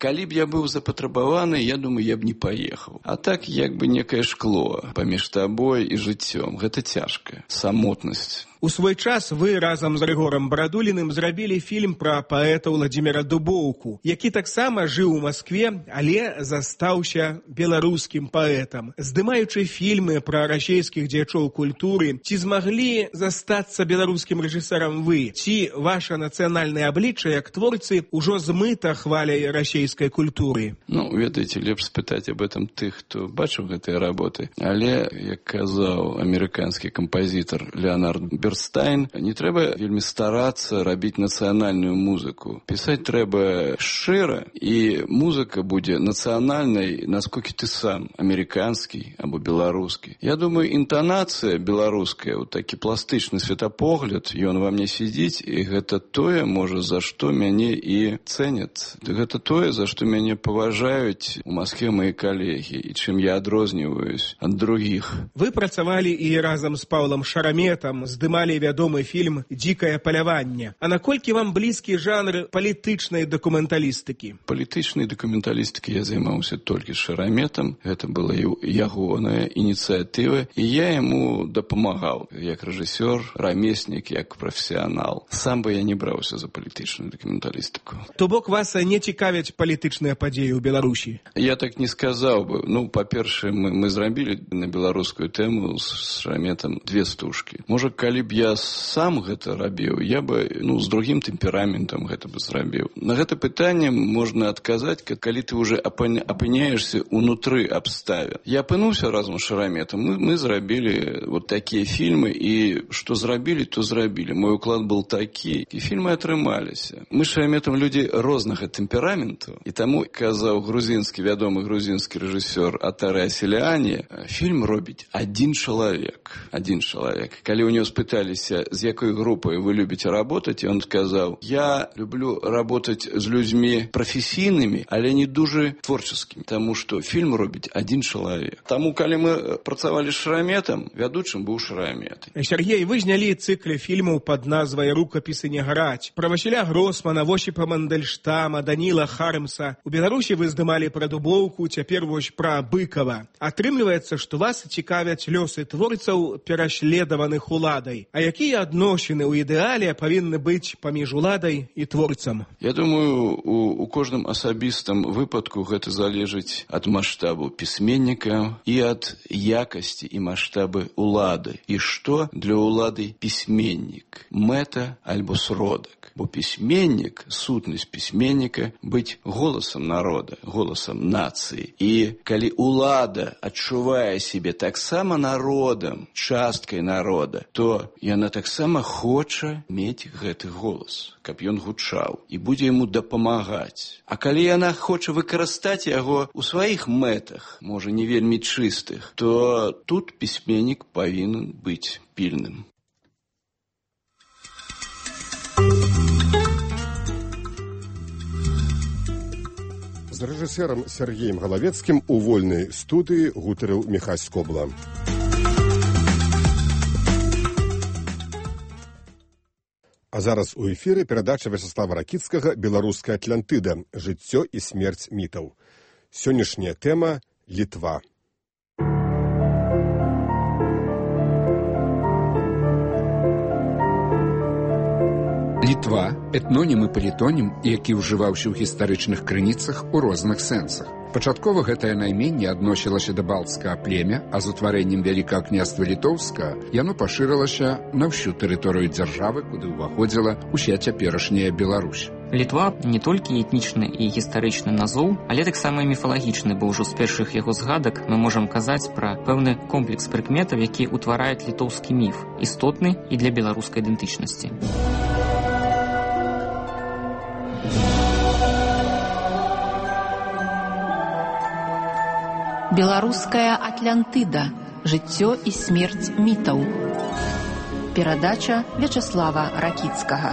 Калі б я быў запатрабаваны, я думаю, я б не паехаў. А так, як бы некае шкло паміж табой і жыццём. Гэта цяжка. Самотнасць. У свой час вы разам з Рыгорам Барадуліным зрабілі фільм пра паэта Владзіміра Дубоўку, які таксама жыў у Маскве, але застаўся беларускім паэтам. Здымаючы фільмы пра расейскіх дзеячоў культуры, ці змаглі застацца беларускім рэжысэрам вы? Ці ваша нацыянальнае аблічча як творцы ўжо змыта хваляй расейскай культуры? Ведаеце, лепш спытаць об этом тых, хто бачыў гэтыя работы. Але, як казаў амерыканскі кампазітар Леонард Берстайн, не трэба вельмі старацца рабіць нацыянальную музыку. Пісаць трэба шчыра, і музыка будзе нацыянальнай, насколькі ты сам, амерыканскі або беларускі. Я думаю, інтанацыя беларуская, такі пластычны светапогляд, ён ва мне сидзіць, і гэта тое, можа, за што мяне і цэняць. Гэта тое, за што мяне паважаюць у Маскве мои калегі, і чым я адрозніваюсь ад другіх. Вы працавалі і разам з Паўлам Шараметам, здымалі знімалі вядомы фільм «Дзікае паляванне». А наколькі вам блізкі жанр палітычнай дакументалістыкі? Палітычнай дакументалістыкі я займаўся толькі з Шараметам. Гэта была ягоная ініцыятыва, і я яму дапамагаў як рэжысёр, рамеснік, як прафесіянал. Сам бы я не браўся за палітычную дакументалістыку. То бок вас не цікавяць палітычныя падзеі ў Беларусі? Я так не сказаў бы. Па-першае, мы зрабілі на беларускую тэму з Шараметам 2 стужкі. Можа, калі б я сам гэта рабіў, я бы з другім тэмпераментам гэта бы зрабіў. На гэта пытанне можна адказаць, калі ты уже апыняешься унутры абставін. Я апынуўся разам з Шараметам. Мы зрабілі вот такія фільмы, і што зрабілі, то зрабілі. Мой уклад был такі, і фільмы атрымаліся. Мы з Шараметам людзі рознага тэмпераменту, і таму, казаў вядомы грузінскі рэжысёр Атаре Асіліані, фільм робіць адзін чалавек. Калі ў него спыталіся, з якой групай вы любіце работаць, ён сказаў: я люблю работаць з людзьмі прафесійнымі, але не дужа творчаскімі, таму што фільм робіць адзін чалавек. Таму, калі мы працавалі з Шараметам, вядучым быў Шарамет. Сергей, вы знялі цыкле фільмаў пад назвай «Рукапісы не граць». Пра Васіля Гросмана, Восіпа Мандельштама, Даніла Хармса. У Беларусі вы здымалі пра Дубоўку, цяпер вось пра Быкава. Атрымліваецца, што вас цікавяць лёсы творцаў, пераследаваных уладай. А якія адносіны ў ідэале павінны быць паміж уладай і творцам? Я думаю, у кожным асабістым выпадку гэта залежыць ад маштабу пісьменніка і ад якасці і маштабы улады. І што для улады пісьменнік? Мэта альбо сродак. Бо пісьменнік, сутнасць пісьменніка быць голасам народа, голасам нацыі. І калі улада адчувае сябе таксама народам, часткай народа, то яна таксама хоча мець гэты голас, каб ён гучаў, і будзе яму дапамагаць. А калі яна хоча выкарыстаць яго ў сваіх мэтах, можа не вельмі чыстых, то тут пісьменнік павінен быць пільным. З рэжысэрам Сергеем Галавецкім у вольнай студыі гутарыў Міхась Скобла. А зараз у эфіры перадача Вячеслава Ракіцкага «Беларуская Атлантыда. Жыццё і смерць мітаў». Сённяшняя тэма – Літва. Літва – этнонім і палітонім, які ўжываўся ў гістарычных крыніцах у розных сэнсах. Пачаткова гэтае найменне адносілася да балцкага племя, а з утварэннем Вялікага княства Літоўскага яно пашырылася на ўсю тэрыторыю дзяржавы, куды ўваходзіла ўся цяперашняя Беларусь. Літва не толькі этнічны і гістарычны назоў, але таксама і міфалагічны, бо ўжо з першых яго згадак мы можам казаць пра пэўны комплекс прыкметаў, які ўтварае літоўскі міф, істотны і для беларускай ідэнтычнасці. Беларуская Атлантыда. Жыццё і смерць мітаў. Перадача Вячеслава Ракіцкага.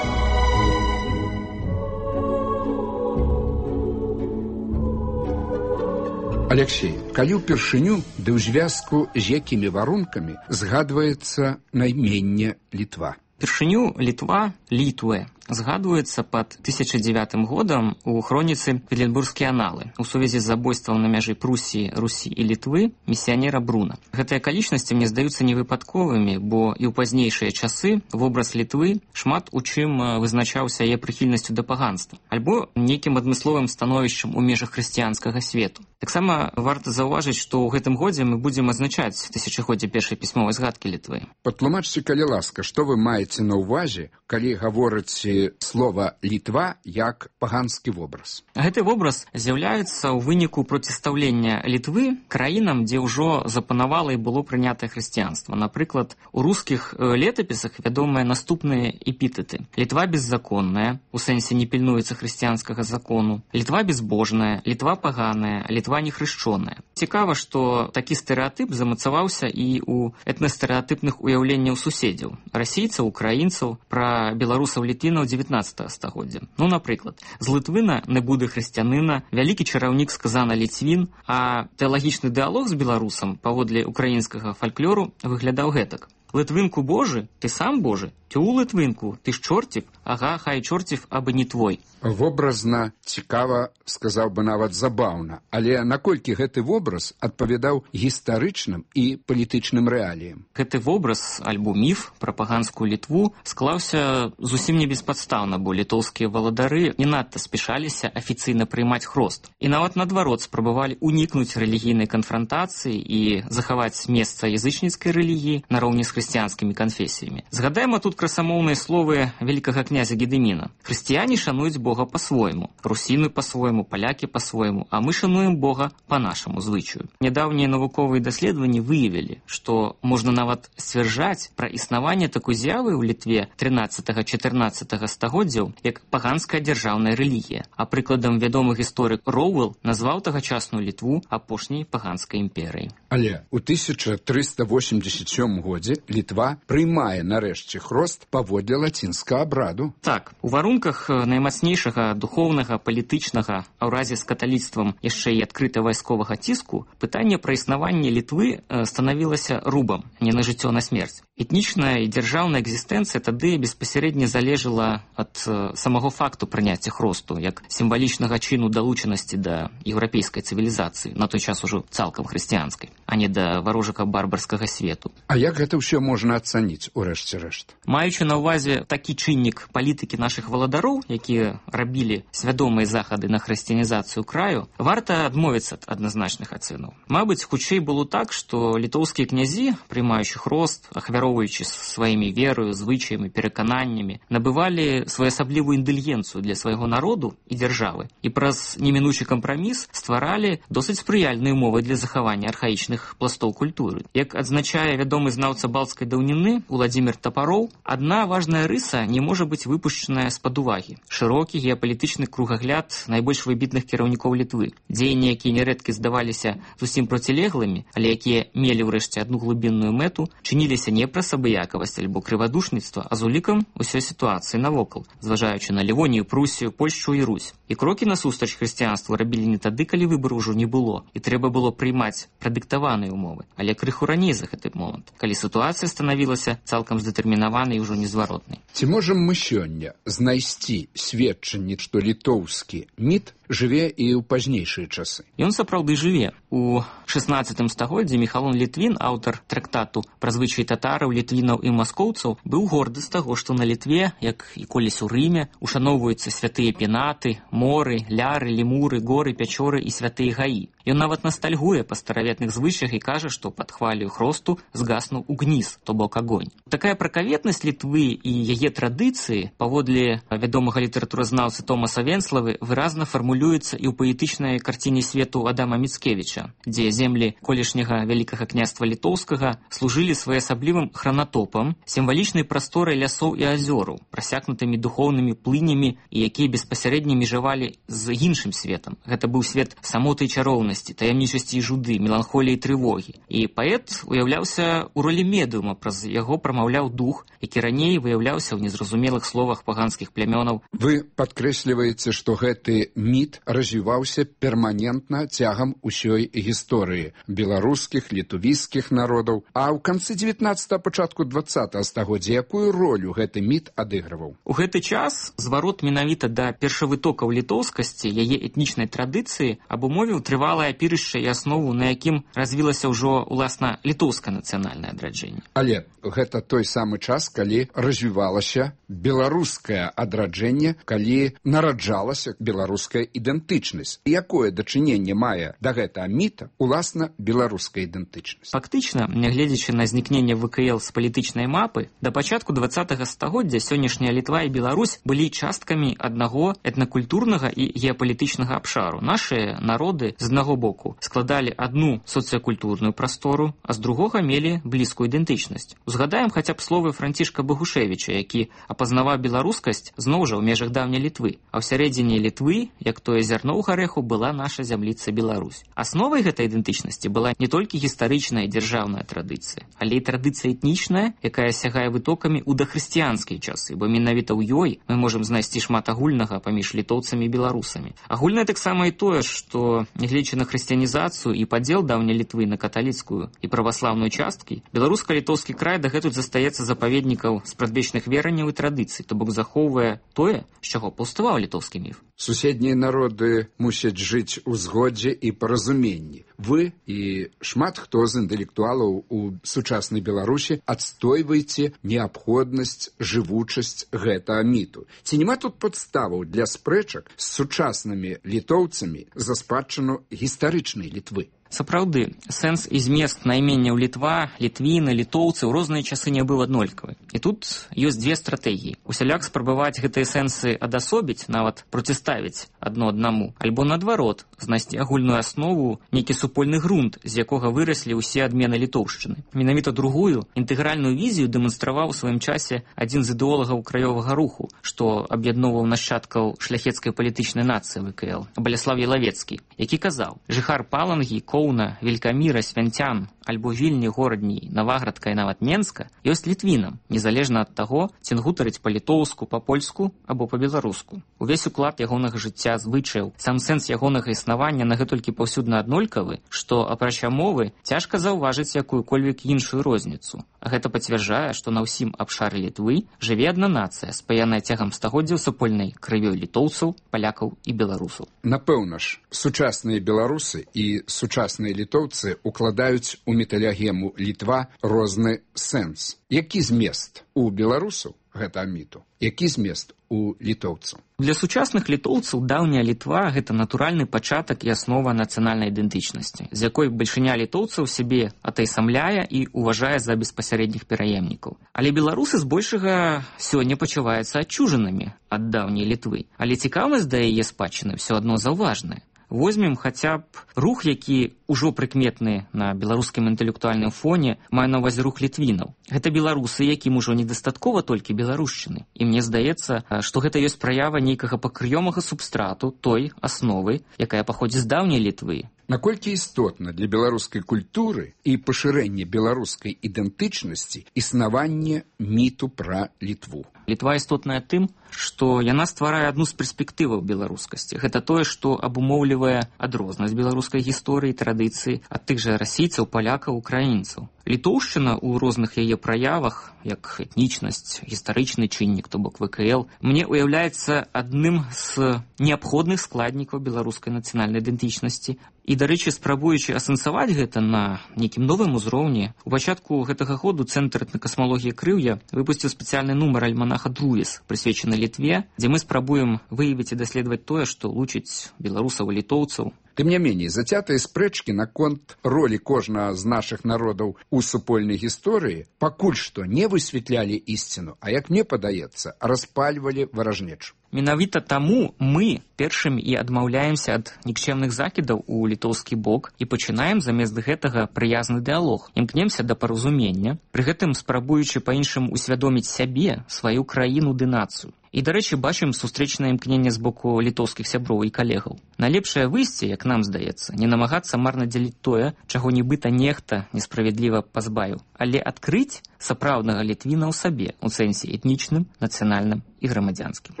Алексей, калі ўпершыню ды ў звязку з якімі варункамі згадваецца найменне Літва? Першыню Літва, Літуэ, згадваецца пад 1009 годам у хроніцы «Петербургскія аналы» у сувязі з забойствам на мяжы Прусіі, Русі і Літвы місіянера Бруна. Гэтыя акалічнасці мне здаюцца невыпадковымі, бо і ў пазнейшыя часы вобраз Літвы шмат у чым вызначаўся яе прыхільнасцю да паганства альбо нейкім адмысловым становішчам у межах хрысціянскага свету. Таксама варта заўважыць, што ў гэтым годзе мы будзем адзначаць тысячагоддзе першай пісьмовай згадкі Літвы. Патлумачце, калі ласка, што вы маеце на ўвазе, калі гаворыце слова «Літва» як паганскі вобраз? Гэты вобраз з'яўляецца ў выніку процістаўлення Літвы краінам, дзе ўжо запанавала і было прынятае хрысціянства. Напрыклад, у рускіх летапісах вядомыя наступныя эпітэты. Літва беззаконная, у сэнсе не пільнуецца хрысціянскага закону. Літва безбожная, Літва паганая, Літва нехрышчоная. Цікава, што такі стэрэатып замацаваўся і ў этнастэрэатыпных уяўленняў суседзяў. Расійцаў, украінцаў, пра беларусаў-літвінаў 19 стагоддзя. Напрыклад, з Літвіна не будзе хрысціянына, вялікі чараўнік сказана Ліцвін, а тэалагічны дыалог з беларусам паводле украінскага фальклору выглядаў гэтак. Литвинку Божий, ти сам Божий? Тю, Литвинку, ти ж чортів? Ага, хай чортів, аби не твой. Вобразна, цікава, сказаў бы нават забаўна, але наколькі гэты вобраз адпавядаў гістарычным і палітычным рэаліям? Гэты вобраз, альбо міф пра паганскую Літву склаўся зусім не беспадстаўна, бо літоўскія валадары не надта спяшаліся афіцыйна прыймаць хрост. І нават наадварот спрабавалі унікнуць рэлігійнай канфрантацыі і захаваць месца язычніцкай рэлігіі нароўні з хрысціянскімі канфесіямі. Згадаем тут красамоўныя словы вялікага князя Гедыміна. Хрысціяне шануюць Бога па-свойму, русіны па-свойму, палякі па-свойму, а мы шануем Бога па нашаму звычаю. Нядаўнія навуковыя даследаванні выявілі, што можна нават сцвярджаць пра існаванне такой з'явы ў Літве 13-14 стагоддзяў, як паганская дзяржаўная рэлігія. А прыкладам вядомы гісторык Роуэлл назваў тагачасную Літву апошняй паганскай імперыяй. Але ў 1387 годзе Літва прымае нарэшце хрост паводле лацінскага абраду. Так, у варунках наймацнейшага духоўнага, палітычнага, а ў разе з каталіцтвам яшчэ і адкрыта вайсковага ціску, пытанне пра існаванне Літвы станавілася рубам, не на жыццё, на смерць. Этнічная і дзяржаўная экзістэнцыя тады беспасярэдне залежала ад самого факту прыняцця хросту, як сімвалічнага чыну далучанасці да еўрапейскай цывілізацыі, на той час ужо цалкам хрысціянскай, а не да варожага барбарскага свету. А як гэта ўсё можна ацаніць у рэшце рэшт? Маючы на ўвазе такі чыннік палітыкі нашых валадароў, якія рабілі свядомыя захады на хрысціянізацыю краю, варта адмовіцца ад адназначных ацэнаў. Мабыць, хутчэй было так, што літоўскія князі, прымаючы хрост, ахвяроўваючы сваімі верою, звычаямі, перакананнямі, набывалі своеасаблівую індульгенцыю для свайго народу і дзяржавы і праз немінучы кампраміс стваралі досыць спрыяльныя умовы для захавання архаічных пластоў культуры. Як адзначае вядомы знаўца балцкай даўніны Уладзімір Тапароў, адна важная рыса не можа быць выпушчаная з-пад увагі. Шырокі геапалітычны кругагляд найбольш выбітных кіраўнікоў Літвы. Дзеянні, якія нярэдкі здаваліся зусім процілеглымі, але якія мелі ўрэшце адну глыбінную мэту, чыніліся не праз абыякавасць альбо крывадушніцтва, а з улікам усёй сітуацыі навокал, зважаючы на Лівонію, Прусію, Польшчу і Русь. І крокі насустрач хрысціянству рабілі не тады, калі выбару ўжо не было, і трэба было прыймаць прадыктаваныя умовы, але крыху раней за гэты момант, калі сітуацыя станавілася цалкам здэтэрмінаванай і ўжо незваротнай. Ці можам мы сёння знайсці сведчанне, што літоўскі міт жыве і ў пазнейшыя часы? Ён сапраўды жыве. У 16 стагоддзі Міхалон Літвін, аўтар трактату пра звычаі татараў, літвінаў і маскоўцаў, быў горды з таго, што на Літве, як і колісь у Рыме, ушаноўваюцца святыя пенаты, моры, ляры, лемуры, горы, пячоры і святыя гаі. Ён нават ностальгуе па стараветных звычаях і кажа, што пад хвалю хросту згаснуў угніз, то бок агонь. Такая пракаветнасць Літвы і яе традыцыі, паводле вядомага літаратуразнаўцы Томаса Венславы, выразна фармулюецца і ў паэтычнай карціне свету Адама Міцкевіча, дзе землі колішняга вялікага княства літоўскага служылі своеасаблівым хранатопам, сімвалічнай прасторай лясоў і азёраў, прасякнутымі духоўнымі плынямі і якія беспасярэдне межавалі з іншым светам. Гэта быў свет самоты і чароўнасці, таямнічасці і жуды, меланхоліі і трывогі. І паэт уяўляўся ў ролі медыума, праз яго прамаўляў дух, які раней выяўляўся ў незразумелых словах паганскіх плямёнаў. Вы падкрэсліваеце, што гэты міт развіваўся перманентна цягам усёй гісторыі беларускіх, літувійскіх народаў, а ў канцы 19-го, пачатку 20-го стагоддзя якую ролю гэты міт адыгрываў? У гэты час зварот менавіта да першавытокаў літоўскасці, яе этнічнай традыцыі абумовіў трывалае апірышча і аснову, на якім развілася ўжо, уласна, літоўскае нацыянальнае адраджэнне. Але гэта той самы час, калі развівалася беларускае адраджэнне, калі нараджалася беларуская ідэнтычнасць. Якое дачыненне мае да гэтага міта, уласна, беларуская ідэнтычнасць? Фактычна, нягледзячы на знікненне ВКЛ з палітычнай мапы, да пачатку 20-го стагоддзя сённяшняя Літва і Беларусь былі часткамі аднаго этнакультурнага і геапалітычнага абшару. Нашыя народы, з аднаго боку, складалі адну соцыякультурную прастору, а з другога мелі блізкую ідэнтычнасць. Узгадаем хаця б словы Францішка Багушевіча, які апазнаваў беларускасць зноў жа ў межах даўняй Літвы. А ў сярэдзіне Літвы, як тое зярно ў гарэху была наша зямліца Беларусь. Асновай гэтай ідэнтычнасці была не толькі гістарычная і дзяржаўная традыцыя, але і традыцыя этнічная, якая сягае вытокамі ў дахрысціянскія часы, бо менавіта ў ёй мы можам знайсці шмат агульнага паміж літоўцамі і беларусамі. Агульнае таксама і тое, што, нягледзячы на хрысціянізацыю і падзел даўняй Літвы на каталіцкую і праваслаўную часткі, беларуска-літоўскі край дагэтуль застаецца запаведнікаў спрадвечных вераванняў і традыцый, то бок захоўвае тое, з чаго паўставаў літоўскі міф. Суседнія народы мусяць жыць у згодзе і паразуменні. Вы і шмат хто з інтэлектуалаў у сучаснай Беларусі адстойваеце неабходнасць, жывучасць гэтага міту. Ці няма тут падставаў для спрэчак з сучаснымі літоўцамі за спадчыну гістарычнай Літвы? Сапраўды, сэнс і змест найменняў Літва, літвіны, літоўцы ў розныя часы не быў аднолькавы. І тут ёсць дзве стратэгіі. Усяляк спрабаваць гэтыя сэнсы адасобіць, нават проціставіць адно аднаму, альбо наадварот, знайсці агульную аснову, нейкі супольны грунт, з якога выраслі ўсе адмены літоўшчыны. Менавіта другую, інтэгральную візію дэманстраваў у сваім часе адзін з ідэолагаў краёвага руху, што аб'ядноўваў нашчадкаў шляхецкай палітычнай нацыі ВКЛ, Баляслав Ялавецкі, які казаў: «Жыхар Палангі, Коўна, Велькаміра, Свянцян, альбо Вільні, Горадні, Наваградка і нават Менска ёсць літвінам, незалежна ад таго, ці гутарыць па-літоўску, па-польску або па-беларуску. Увесь уклад ягонага жыцця, звычаяў, сам сэнс ягонага існавання нагэтулькі паўсюдна аднолькавы, што, апрача мовы, цяжка заўважыць якую-кольвек іншую розніцу. А гэта пацвярджае, што на ўсім абшары Літвы жыве адна нацыя, спаяная цягам стагоддзяў супольнай крывёй літоўцаў, палякаў і беларусаў. Напэўна ж, сучасныя беларусы і сучасныя літоўцы укладаюць у металягему Літва розны сэнс. Які змест у беларусаў гэта міту? Які змест у літоўцаў? Для сучасных літоўцаў даўняя Літва – гэта натуральны пачатак і аснова нацыянальнай ідэнтычнасці, з якой бальшыня літоўцаў сябе атайсамляе і ўважае за беспасярэдніх пераемнікаў. Але беларусы збольшага сёння пачуваюцца адчужанымі ад даўняй Літвы. Але цікавасць да яе спадчыны ўсё адно заўважная. Возьмем хаця б рух, які ўжо прыкметны на беларускім інтэлектуальным фоне, маю на ўвазе рух літвінаў. Гэта беларусы, якім ужо недастаткова толькі беларушчыны. І мне здаецца, што гэта ёсць праява нейкага пакрыёмага субстрату той асновы, якая паходзіць з даўняй Літвы. Наколькі істотна для беларускай культуры і пашырэння беларускай ідэнтычнасці існаванне міту пра Літву? Літва істотная тым, што яна стварае адну з перспектываў беларускасці. Гэта тое, што абумоўлівае адрознасць беларускай гісторыі і традыцыі ад тых жа расійцаў, палякаў, украінцаў. Літоўшчына ў розных яе праявах, як этнічнасць, гістарычны чыннік, то бок ВКЛ, мне ўяўляецца адным з неабходных складнікаў беларускай нацыянальнай ідэнтычнасці. І, дарэчы, спрабуючы асэнсаваць гэта на нейкім новым узроўні, у пачатку гэтага году Цэнтр этнакасмалогіі Крыўя выпусціў спецыяльны нумар альманаха «Друес», прысвечаны Літве, дзе мы спрабуем выявіць і даследаваць тое, што лучыць беларусаў і літоўцаў. Тым не меней, зацятыя спрэчкі наконт ролі кожнага з нашых народаў у супольнай гісторыі пакуль што не высвятлялі ісціну, а, як мне падаецца, распальвалі варажнечу. Менавіта таму мы першымі і адмаўляемся ад нікчемных закідаў у літоўскі бок і пачынаем замест гэтага прыязны дыялог. Імкнемся да паразумення, пры гэтым спрабуючы па-іншаму усвядоміць сябе, сваю краіну ды нацыю. І, дарэчы, бачым сустрэчнае імкненне з боку літоўскіх сяброў і калегаў. Найлепшае выйсце, як нам здаецца, не намагацца марна дзяліць тое, чаго нібыта нехта несправядліва пазбавіў, але адкрыць сапраўднага літвіна ў сабе, у сэнсе этнічным, нацыянальным і грамадзянскім.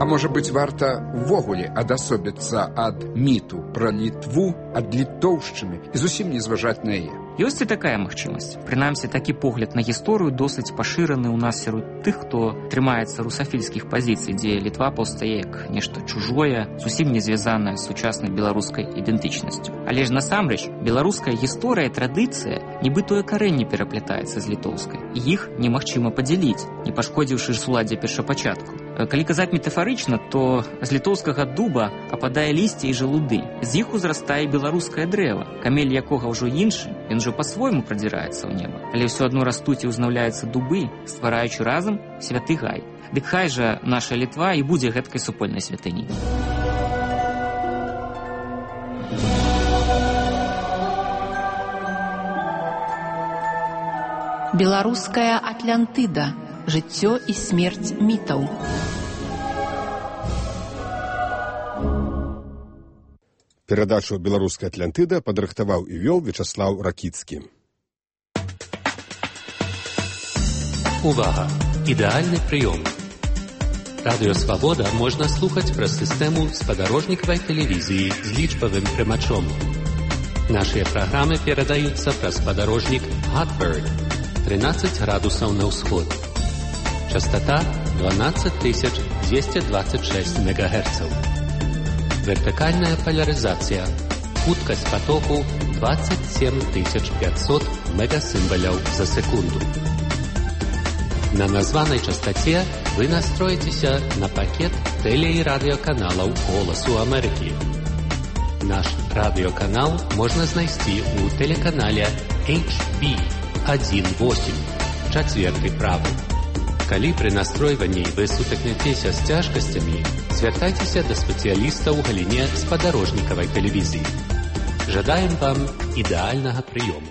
А можа быць, варта ўвогуле адасобіцца ад міту пра Літву, ад літоўшчыны і зусім не зважаць на яе? Ёсць і такая магчымасць. Прынамсі, такі погляд на гісторыю досыць пашыраны ў нас сярод тых, хто трымаецца русафільскіх пазіцый, дзе Літва паўстае як нешта чужое, зусім не звязанае з сучаснай беларускай ідэнтычнасцю. Але ж насамрэч, беларуская гісторыя і традыцыя нібы карэнне пераплятаецца з літоўскай. І іх немагчыма падзяліць, не пашкодзіўшы суладдзе першапачатку. Калі казаць метафарычна, то з літоўскага дуба ападае лісце і жалуды. З іх узрастае беларускае дрэва, камель якога ўжо іншы, ён ужо па-свойму прадзіраецца ў неба. Але ўсё адно растуць і ўзнаўляюцца дубы, ствараючы разам святы гай. Дык хай жа наша Літва і будзе гэткай супольнай святыняй. Беларуская Атлантыда. Жыццё і смерць мітаў. Перадачу «Беларуская Атлантыда» падрыхтаваў і вёл Вячаслаў Ракіцкі. Увага! Ідэальны прыём. Радыё «Свабода» можна слухаць праз сістэму спадарожнікавай тэлевізіі з лічбавым прымачом. Нашыя праграмы перадаюцца праз спадарожнік Hotbird 13 градусаў на ўсход. Частота 12226 МГц. Вертыкальная поляризация. Хуткость потоку 27500 мегасимволяў за секунду. На названной частоте вы настроитеся на пакет теле- и радиоканалаў «Голосу Америки». Наш радиоканал можно знайсці у телеканале HB18, чацвёрты правы. Калі пры настройванні вы сутыкнецеся з цяжкасцямі, звяртайцеся да спецыяліста ў галіне спадарожнікавай тэлевізіі. Жадаем вам ідэальнага прыёму.